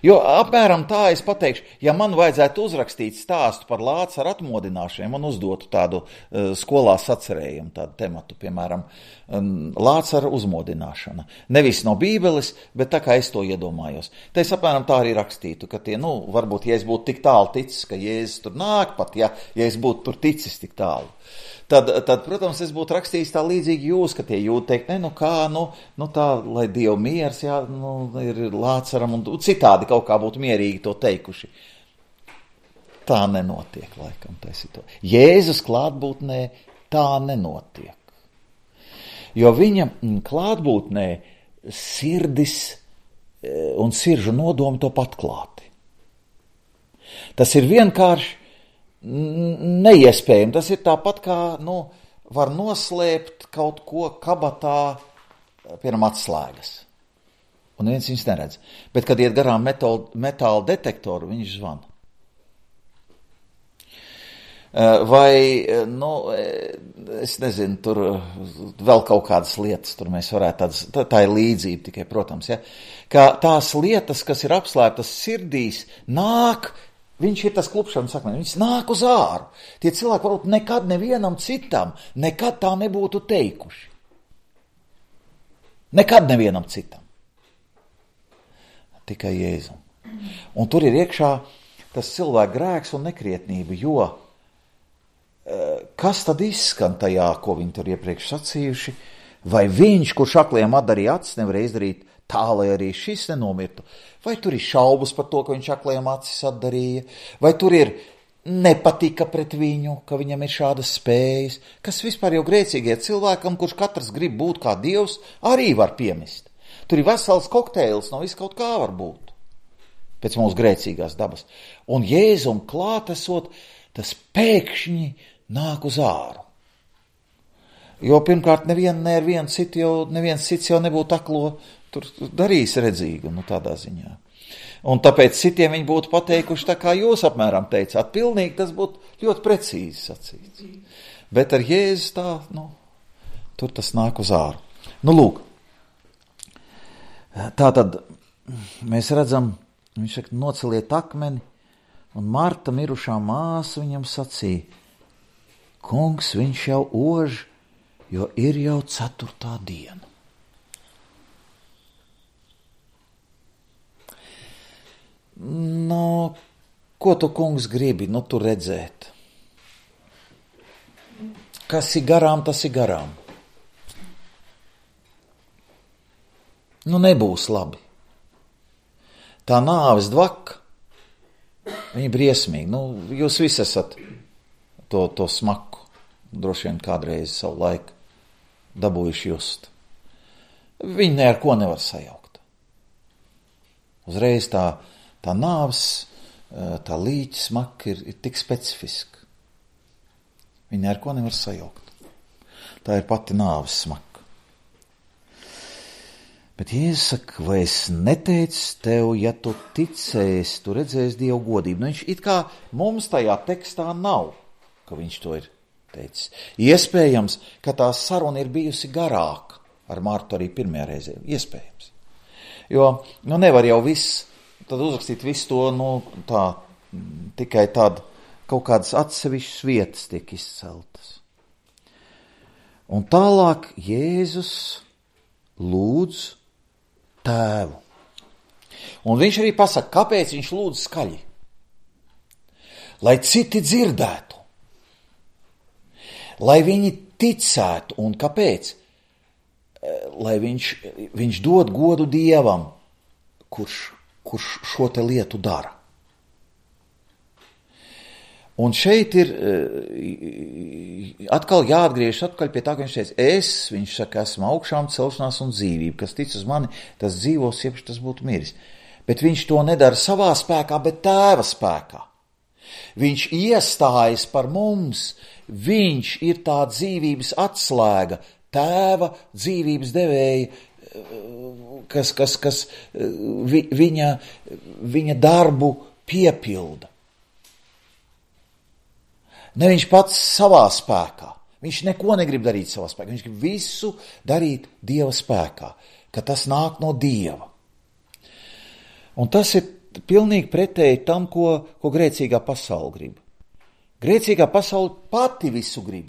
Jo apmēram tā es pateikšu, ja man vajadzētu uzrakstīt stāstu par Lācaru atmodināšanu, man uzdotu tādu uh, skolā sacerējumu, tādu tematu, piemēram, um, Lācara uzmodināšana. Nevis no Bībeles, bet tā kā es to iedomājos. Tā es apmēram tā arī rakstītu, ka tie, nu, varbūt, ja es būtu tik tālu ticis, ka Jēzus tur nāk pat, ja, ja es būtu tur ticis tik tālu. Tad, tad, protams, es būtu rakstījis tā līdzīgi jūs, ka tie jūti teikt, ne, nu kā, nu, nu tā, lai Dievu miers, jā, nu, ir Lācaram, un citādi kaut kā būtu mierīgi to teikuši. Tā nenotiek, laikam, tā situācija. Jēzus klātbūtnē tā nenotiek. Jo viņa klātbūtnē sirdis un siržu nodomi top atklāti. Tas ir vienkārši neiespējami. Tas ir tāpat kā, nu, var noslēpt kaut ko kabatā, piemēram, atslēgas. Un neviens viņus neredz. Bet, kad iet garām metāla, metāla detektoru, viņš zvana. Vai, nu, es nezinu, tur vēl kaut kādas lietas, tur mēs varētu tādas, tā, tā ir līdzība tikai, protams, ja, ka tās lietas, kas ir apslēptas sirdīs, nāk. Viņš ir tas klupšanas sakmē, viņš nāk uz āru. Tie cilvēki varbūt nekad nevienam citam, nekad tā nebūtu teikuši. Nekad nevienam citam. Tikai Jēzum. Un tur ir iekšā tas cilvēka grēks un nekrietnība, jo kas tad izskan tajā, ko viņi tur iepriekš sacījuši, vai viņš, kurš akliem atdarīja acis, nevarēja izdarīt tā, lai arī šis nenomirtu. Vai tur ir šaubas par to, ka viņš akliem acis atdarīja, vai tur ir nepatika pret viņu, ka viņam ir šādas spējas, kas vispār jau grēcīgie cilvēkam, kurš katrs grib būt kā Dievs, arī var piemist. Tur ir vesels kokteils, no viss kaut kā var būt, pēc mūsu grēcīgās dabas. Un Jēzum klātesot, tas pēkšņi nāk uz āru. Jo pirmkārt nevien, ne ar vienu citu jau, neviens cits jau nebūtu aklo tur darījis redzīgu, nu tādā ziņā. Un tāpēc citiem viņi būtu pateikuši tā, kā jūs apmēram teicāt. Pilnīgi tas būtu ļoti precīzi sacīts. Bet ar Jēzus tā, nu, tur tas nāk uz āru. Nu, lūk. Tā tad mēs redzam, viņš saka, noceliet akmeni, un Marta mirušā māsa viņam sacīja, kungs, viņš jau ož, jo ir jau ceturtā diena. Nu, ko tu, kungs, gribi, nu, tu redzēt? Kas ir garām, tas ir garām. Nu, nebūs labi. Tā nāves dvaka, viņa briesmīgi. Nu, jūs visi esat to, to smaku, droši vien kādreiz savu laiku dabūjuši just. Viņi ne ar ko nevar sajaukt. Uzreiz tā Tā nāves, tā līķa smaka ir, ir tik specifiska. Viņa ar ko nevar sajaukt. Tā ir pati nāves smaka. Bet Jēzus saka, vai es neteicu tev, ja tu ticēsi, tu redzēsi Dievu godību. Nu, viņš it kā mums tajā tekstā nav, ka viņš to ir teicis. Iespējams, ka tā saruna ir bijusi garāka ar Martu arī pirmajā reizē. Iespējams. Jo, nu, nevar jau viss tad uzrakstīt visu to, nu, tā, tikai tāda kaut kādas atsevišķas vietas tiek izceltas. Un tālāk Jēzus lūdz tēvu. Un viņš arī pasaka, kāpēc viņš lūdz skaļi. Lai citi dzirdētu. Lai viņi ticētu. Un kāpēc? Lai viņš, viņš dod godu Dievam, kurš kurš šo te lietu dara. Un šeit ir atkal jāatgriežas atkaļ pie tā, ka viņš teica, es, viņš saka, esmu augšām celšanās un dzīvība, kas tic uz mani, tas dzīvos, iepš tas būtu miris. Bet viņš to nedara savā spēkā, bet tēva spēkā. Viņš iestājas par mums, viņš ir tā dzīvības atslēga, tēva dzīvības devēja, kas, kas, kas vi, viņa, viņa darbu piepilda. Ne viņš pats savā spēkā. Viņš neko negrib darīt savā spēkā. Viņš grib visu darīt Dieva spēkā, ka tas nāk no Dieva. Un tas ir pilnīgi pretēji tam, ko, ko grēcīgā pasaule grib. Grēcīgā pasaule pati visu grib.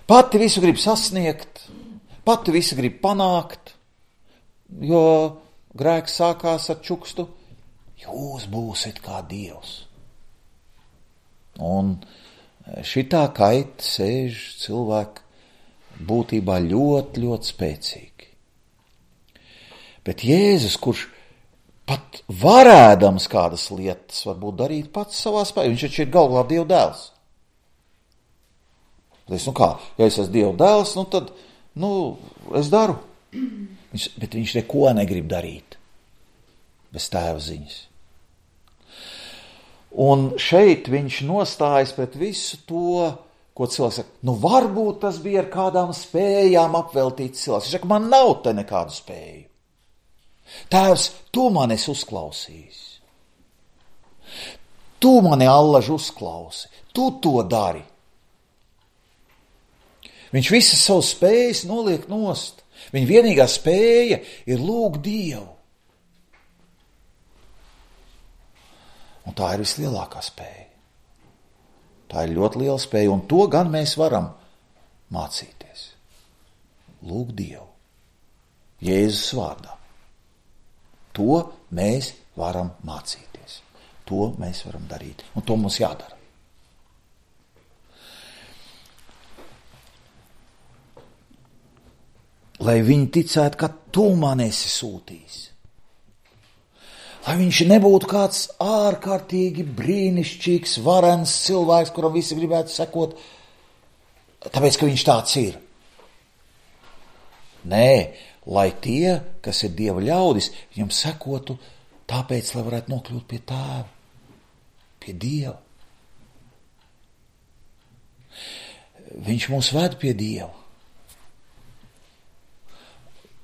Pati visu grib sasniegt, pati visu grib panākt, jo grēks sākās ar čukstu, jūs būsiet kā Dievs. Un šitā kaita sēž cilvēku būtībā ļoti, ļoti spēcīgi. Bet Jēzus, kurš pat varēdams kādas lietas varbūt darīt pats savā spēkā, viņš taču ir galvā Dieva dēls. Es, nu kā, ja es esmu Dieva dēls, nu tad, nu, es daru. Viņš, bet viņš neko negrib darīt bez tēva ziņas. Un šeit viņš nostājas pret visu to, ko cilvēks saka, nu varbūt tas bija ar kādām spējām apveltīts cilvēks. Viņš saka, man nav te nekādu spēju. Tēvs, tu mani esi uzklausījis. Tu mani allaž uzklausi. Tu to dari. Viņš visas savas spējas noliek nost. Viņa vienīgā spēja ir lūgt Dievu. Un tā ir vislielākā spēja. Tā ir ļoti liela spēja, un to gan mēs varam mācīties. Lūgt Dievu. Jēzus vārdā. To mēs varam mācīties. To mēs varam darīt. Un to mums jādara. Lai viņi ticētu, ka tu man esi sūtījis. Lai viņš nebūtu kāds ārkārtīgi brīnišķīgs, varens cilvēks, kuram visi gribētu sekot, tāpēc, ka viņš tāds ir. Nē, lai tie, kas ir Dieva ļaudis, viņam sekotu tāpēc, lai varētu nokļūt pie Tēva, pie Dieva. Viņš mūs ved pie Dieva.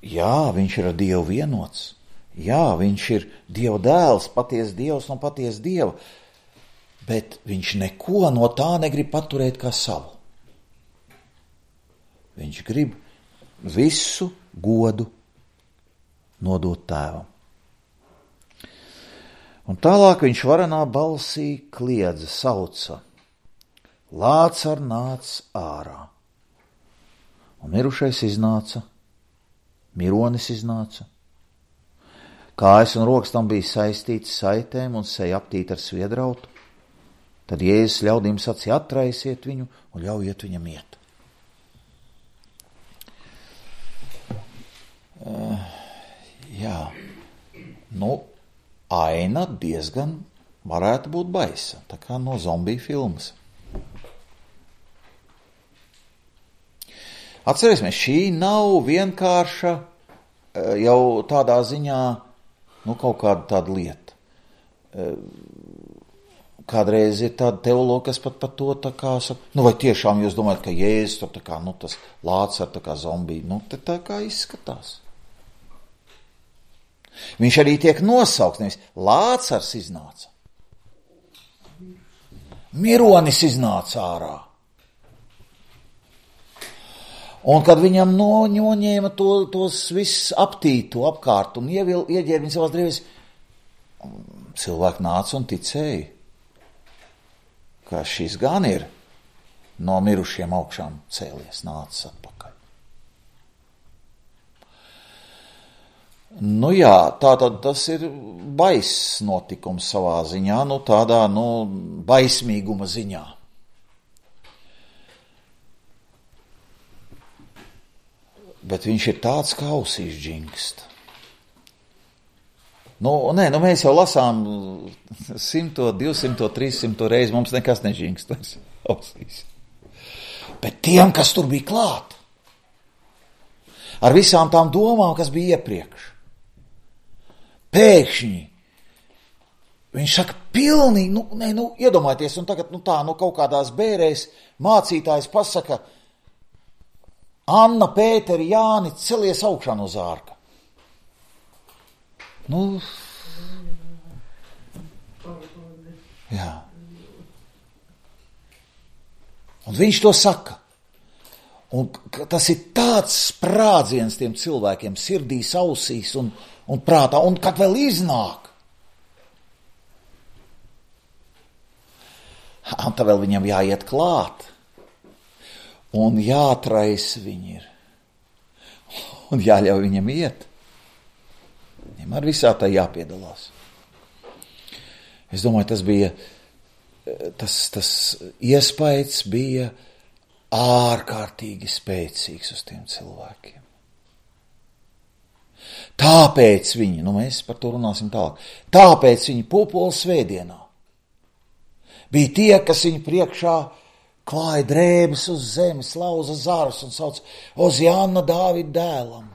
Jā, viņš ir ar Dievu vienots. Jā, viņš ir Dieva dēls, patiesa Dievs no patiesa Dieva. Bet viņš neko no tā negrib paturēt kā savu. Viņš grib visu godu nodot Tēvam. Un tālāk viņš varenā balsī kliedza, sauca: Lācar nāc ārā. Un mirušais iznāca, mironis iznāca. Kājas un rokas tam bija saistītas saitēm un seja aptīta ar sviedrautu. Tad Jēzus ļaudīm sacīja: atraisiet viņu un ļaujiet viņam iet. Uh, jā, nu, aina diezgan varētu būt baisa, tā kā no zombiju filmas. Atcerēsimies, šī nav vienkārša jau tādā ziņā, nu, kaut kāda tāda lieta. Kādreiz ir tāda teologa, kas pat par to tā kā saka, nu, vai tiešām jūs domājat, ka Jēzus tur tā kā, nu, tas Lācar tā kā zombija, nu, te tā kā izskatās. Viņš arī tiek nosaukts, nevis Lācars iznāca. Mironis iznāca ārā. Un kad viņam noņēma to, tos viss aptītu apkārt un ievil, ieģēra viņu savās drēbēs, cilvēki nāca un ticēja, ka šis gan ir no mirušiem augšām cēlies, nācis atpakaļ. Nu jā, tātad tas ir baiss notikums savā ziņā, nu tādā, nu, baismīguma ziņā. Bet viņš ir tāds, kā ausīs džingst. Nu, nē, nu mēs jau lasām simto, divsimto, trīssimto reizi, mums nekas nežingst vairs ausīs. Bet tiem, kas tur bija klāt, ar visām tām domām, kas bija iepriekš, pēkšņi, viņš saka, pilnīgi, nu, nē, nu, iedomājieties, un tagad, nu tā, nu, kaut kādās bērēs mācītājs pasaka, Anna, Pēteri, Jāni, celies augšā no zārka. Nu, jā. Un viņš to saka. Un tas ir tāds sprādziens tiem cilvēkiem sirdīs, ausīs un, un prātā, un kad vēl iznāk. Un tā vēl viņam jāiet klāt. Un jātrais viņi ir. Un jāļauj viņam iet. Viņam ar visā tā jāpiedalās. Es domāju, tas bija, tas, tas iespējas bija ārkārtīgi spēcīgs uz tiem cilvēkiem. Tāpēc viņi, nu mēs par to runāsim tālāk, tāpēc viņi pupola svētdienā bija tie, kas viņu priekšā klāja drēbes uz zemes, lauza zarus un sauc Oziāna Dāvida dēlam,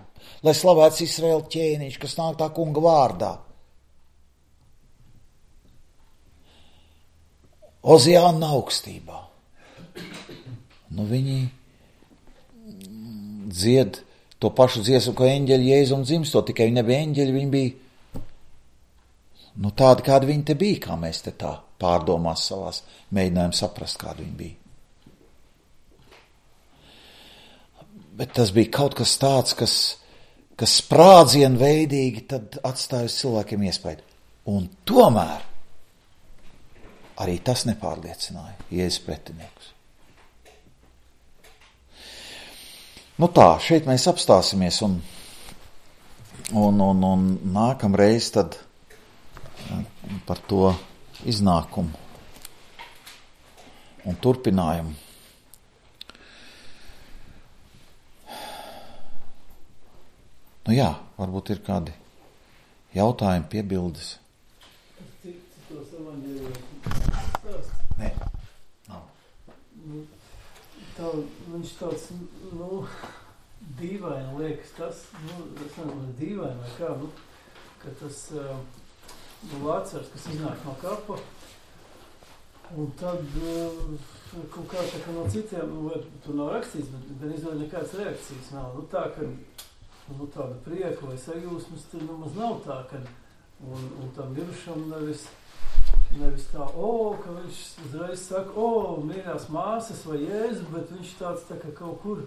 lai slavēts Izraēla ķēniņš, kas nāk tā kunga vārdā. Oziāna augstībā. Nu viņi dzied to pašu dziesmu, ko eņģeļi Jēzum dzimstot, tikai viņi nebija eņģeļi, viņi bija, nu tādi, kādi viņi te bija, kā mēs te tā pārdomās savās, mēģinājām saprast, kādi viņi bija. Bet tas bija kaut kas tāds, kas, kas sprādzienveidīgi tad atstāja uz cilvēkiem iespaidu. Un tomēr arī tas nepārliecināja Jēzus pretiniekus. Nu tā, šeit mēs apstāsimies un, un, un, un nākamreiz tad par to iznākumu un turpinājumu. Nu jā, varbūt ir kādi jautājumi, piebildes. tos evaņģēlijos stāsts? Nē, nav. Nu, tā, viņš tāds, nu, dīvaini liekas tas, nu, es nezinu, dīvaini vai kā, nu, ka tas, nu, vācars, kas iznāk no kapa, un tad kaut kā tā, ka no citiem, nu, vai tur nav rakstīts, bet, bet izdod nekādas reakcijas nav. Nu, tā, ka, nu, tāda prieka vai sajūsmas, tur nemaz nav tā, ka, un, un tam mirušam nevis, nevis tā, o, ka viņš uzreiz saka, o, mīļās māsas vai Jēzu, bet viņš tāds tā, ka kaut kur,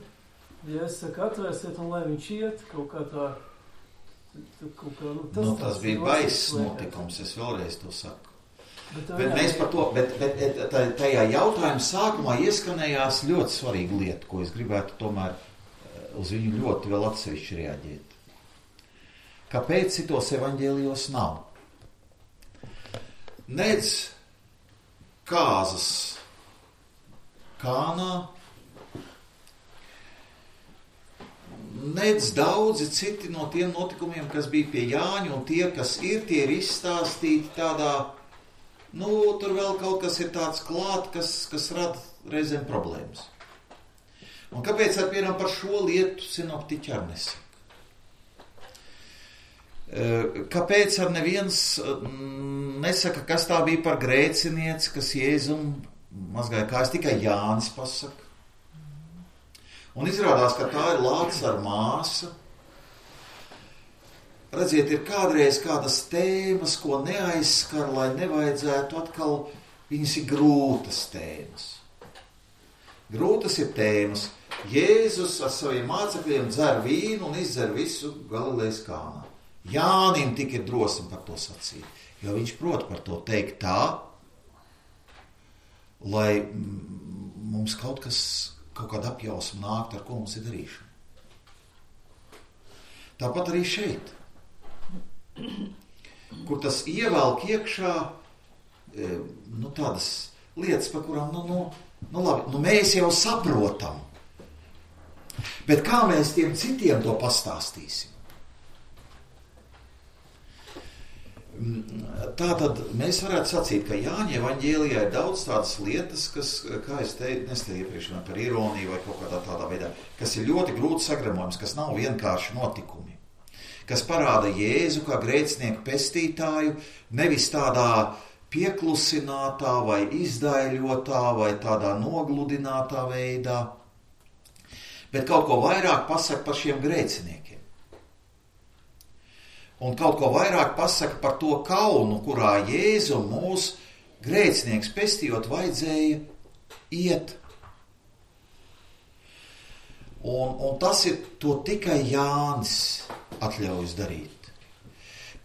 ja es saku, atvērsiet un lai viņš iet, kaut kā tā, tā kaut kā, nu, tas, nu, tas bija baiss notikums, es vēlreiz to saku. Bet, Bet mēs par to, bet, bet tajā jautājuma sākumā ieskanējās ļoti svarīga lieta, ko es gribētu tomēr uz viņu ļoti vēl atsevišķi reaģēt. Kāpēc citos evaņģēlijos nav? Nedz kāzas Kānā, nedz daudzi citi no tiem notikumiem, kas bija pie Jāņa, un tie, kas ir, tie ir izstāstīti tādā, nu, tur vēl kaut kas ir tāds klāt, kas, kas rada reizēm problēmas. Un kāpēc ar piemēram par šo lietu sinoptiķi ar nesaka? Kāpēc ar neviens nesaka, kas tā bija par grēcinieci, kas Jēzum mazgāja kājas, tikai Jānis pasaka. Un izrādās, ka tā ir Lācara māsa. Redziet, ir kādreiz kādas tēmas, ko neaizskar, lai nevajadzētu atkal, viņas ir grūtas tēmas. Grūtas ir tēmas. Jēzus ar saviem mācekļiem dzer vīnu un izdzer visu Galilejas Kānā. Jānim tik ir drosmi par to sacīt, jo viņš prot par to teikt tā, lai mums kaut kas, kaut kāda apjausma nākt, ar ko mums ir darīšana. Tāpat arī šeit, kur tas ievelk iekšā, nu, tādas lietas, par kurām, nu, nu, nu, labi, nu, mēs jau saprotam, bet kā mēs tiem citiem to pastāstīsim? Tātad mēs varētu sacīt, ka Jāņa evaņģēlijā ir daudz tādas lietas, kas, kā es teicu, nestēju iepriekš par ironiju vai kaut kādā tādā veidā, kas ir ļoti grūti sagramojums, kas nav vienkārši notikumi, kas parāda Jēzu kā grēcinieku pestītāju, nevis tādā pieklusinātā vai izdaiļotā vai tādā nogludinātā veidā, bet kaut ko vairāk pasaka par šiem grēciniekiem. Un kaut ko vairāk pasaka par to kaunu, kurā Jēzu mūs grēcinieks pestījot vajadzēja iet. Un, un tas ir to tikai Jānis atļaujas darīt.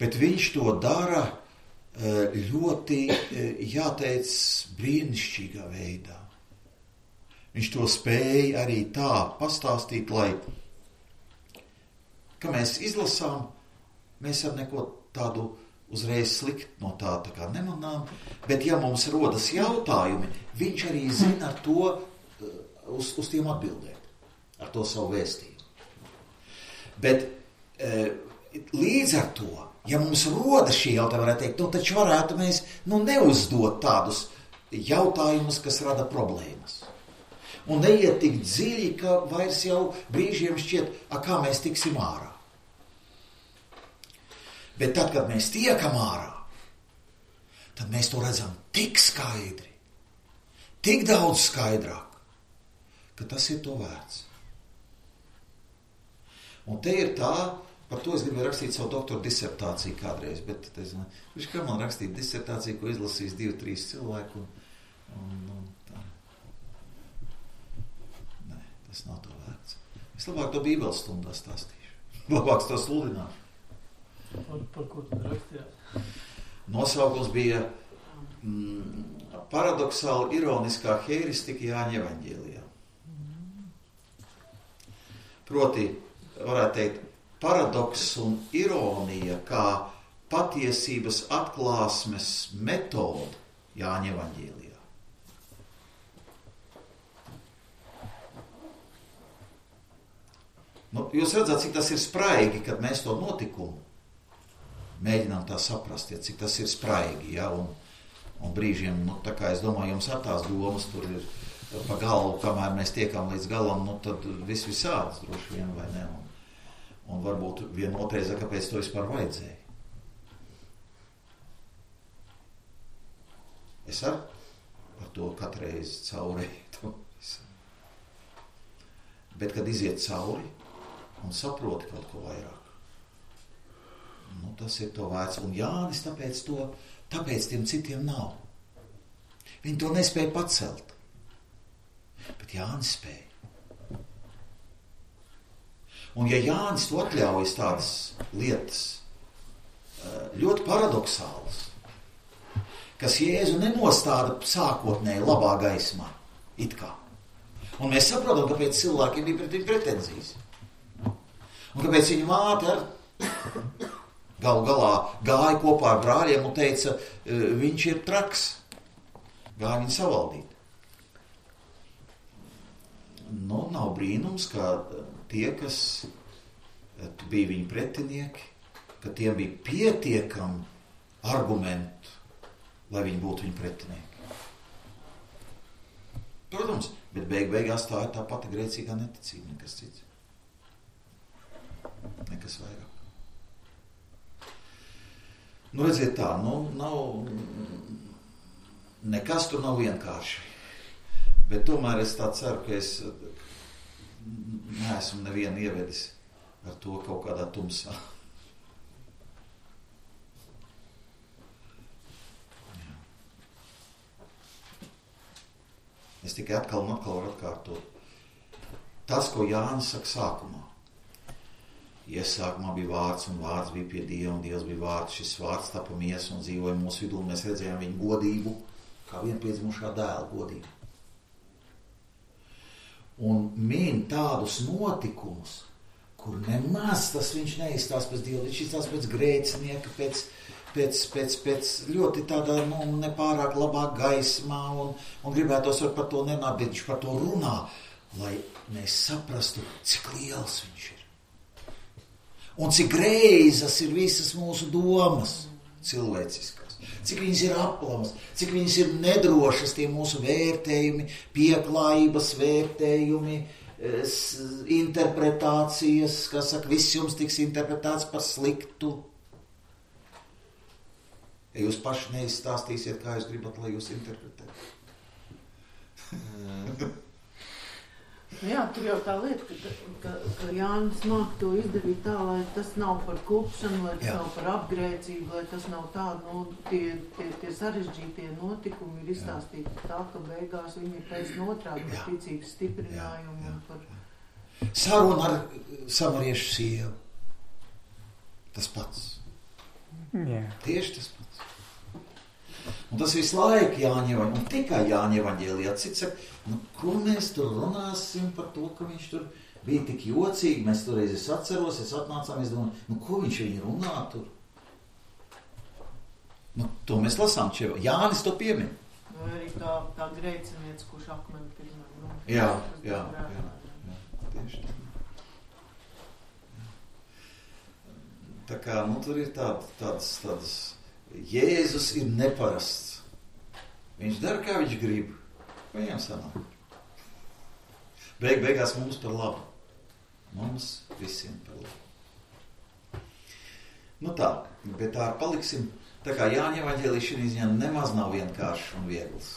Bet viņš to dara ļoti, jāteic, brīnišķīgā veidā. Viņš to spēja arī tā pastāstīt, lai, ka mēs izlasām, mēs ar neko tādu uzreiz slikt no tā, tā kā nemanām, bet ja mums rodas jautājumi, viņš arī zina ar to, uz, uz tiem atbildēt, ar to savu vēstījumu. Bet līdz ar to, ja mums rodas šī jautājuma, varētu teikt, nu taču varētu mēs nu, neuzdot tādus jautājumus, kas rada problēmas. Un neiet tik dziļi, ka vairs jau brīžiem šķiet, a, kā mēs tiksim ārā. Bet tad, kad mēs tiekam ārā, tad mēs to redzam tik skaidri, tik daudz skaidrāk, ka tas ir to vērts. Un te ir tā, par to es gribēju rakstīt savu doktora disertāciju kādreiz, bet es nezinu, viņš kā man rakstīt disertāciju, ko izlasīs divi, trīs cilvēku, un, un, un tā. Nē, tas nav to vērts. Es labāk to Bībeles stundā stāstīšu. Labāk to sludināšu. Par, par ko tad rakstījāt? Nosaukums bija mm, paradoxāli ironiskā heiristika Jāņa evaņģēlijā. Proti, varētu teikt, paradoks un ironija kā patiesības atklāsmes metode Jāņa evaņģēlijā. Nu, jūs redzat, cik tas ir spraigi, kad mēs to notikumu mēģinām tā saprast, ja, cik tas ir spraigi, ja, un, Un brīžiem, nu, tā kā es domāju, jums ar tās domas tur ir pa galvu, kamēr mēs tiekam līdz galam, nu, tad viss visādas droši vien, vai ne? Un, un varbūt vienotreiz, kāpēc to vispār vajadzēja. Es ar par to katreiz caurēju. Bet, kad iziet cauri un saproti kaut ko vairāk, nu, tas ir to vērts. Un Jānis tāpēc to, tāpēc tiem citiem nav. Viņi to nespēja pacelt. Bet Jānis spēja. Un ja Jānis to atļaujas tādas lietas, ļoti paradoxālas, kas Jēzu nenostāda sākotnēji labā gaismā, it kā. Un mēs saprotam, kāpēc cilvēkiem bija pret viņu pretenzijas. Un kāpēc viņa māte ar galu galā gāja kopā ar brāļiem un teica, viņš ir traks. Gāja viņu savaldīt. Nu, nav brīnums, ka tie, kas bija viņa pretinieki, ka tiem bija pietiekami argumenti, lai viņi būtu viņa pretinieki. Protams, bet beig beigās tā ir tā pati grēcīgā neticība, nekas cits. Nekas vairāk. Nu, redziet tā, nu, nav, nekas tur nav vienkārši. Bet tomēr es tā ceru, ka es neesmu nevienu ievedis ar to kaut kādā tumsā. Jā. Es tikai atkal un atkal varu atkārtot. Tas, ko Jānis saka sākumā. Iesākumā bija vārds, un vārds bija pie Dieva, un Dievs bija vārds. Šis vārds tapa miesa un dzīvoja mūsu vidū, un mēs redzējām viņu godību, kā vienpiedzimušā dēla godību. Un min tādus notikumus, kur nemaz tas viņš neizstās pēc Dieva, viņš izstās pēc grēcinieka, pēc, pēc, pēc, pēc ļoti tādā, nu, nepārāk labā gaismā, un, un gribētos var par to nenāt, bet viņš par to runā, lai mēs saprastu, cik liels viņš ir. Un cik greizas ir visas mūsu domas cilvēciskas. Cik viņas ir aplamas, cik viņas ir nedrošas, tie mūsu vērtējumi, pieklājības vērtējumi, interpretācijas, kas saka, viss jums tiks interpretēts par sliktu. Ja jūs paši neizstāstīsiet, kā jūs gribat, lai jūs interpretētu. Jā, tur jau tā lieta, ka, ka, ka Jānis māk to izdarīt tā, lai tas nav par kupšanu, lai tas Jā. Nav par apgrēcību, lai tas nav tā, nu, tie, tie, tie sarežģītie notikumi ir izstāstīti tā, ka beigās viņi ir pēc notrādi par ticības stiprinājumu. Jā, jā, par... Saruna ar samariešu sievu. Tas pats. Jā. Tieši tas pats. Un tas visu laiku Jāņa evaņģēlijā, un tikai Jāņa evaņģēlijā. Cits saka, nu, ko mēs tur runāsim par to, ka viņš tur bija tik jocīgi, mēs toreiz es atceros, es atnācām, es domāju, nu, ko viņš viņi runā tur? Nu, to mēs lasām čeva. Jānis to piemin. Vai arī tā, tā grēcinieca, kurš akmeni pirmā. Nu, jā, jā, jā, jā, jā, tieši tā. Tā kā, nu, tur ir tād, tādas, tādas, Jēzus ir neparasts. Viņš dara, kā viņš grib. Viņam sanāk. Beig, beigās mums par labu. Mums visiem par labu. Nu tā, bet tā paliksim. Tā kā Jāņa evaņģēlijs šī ziņā nemaz nav vienkāršs un viegls.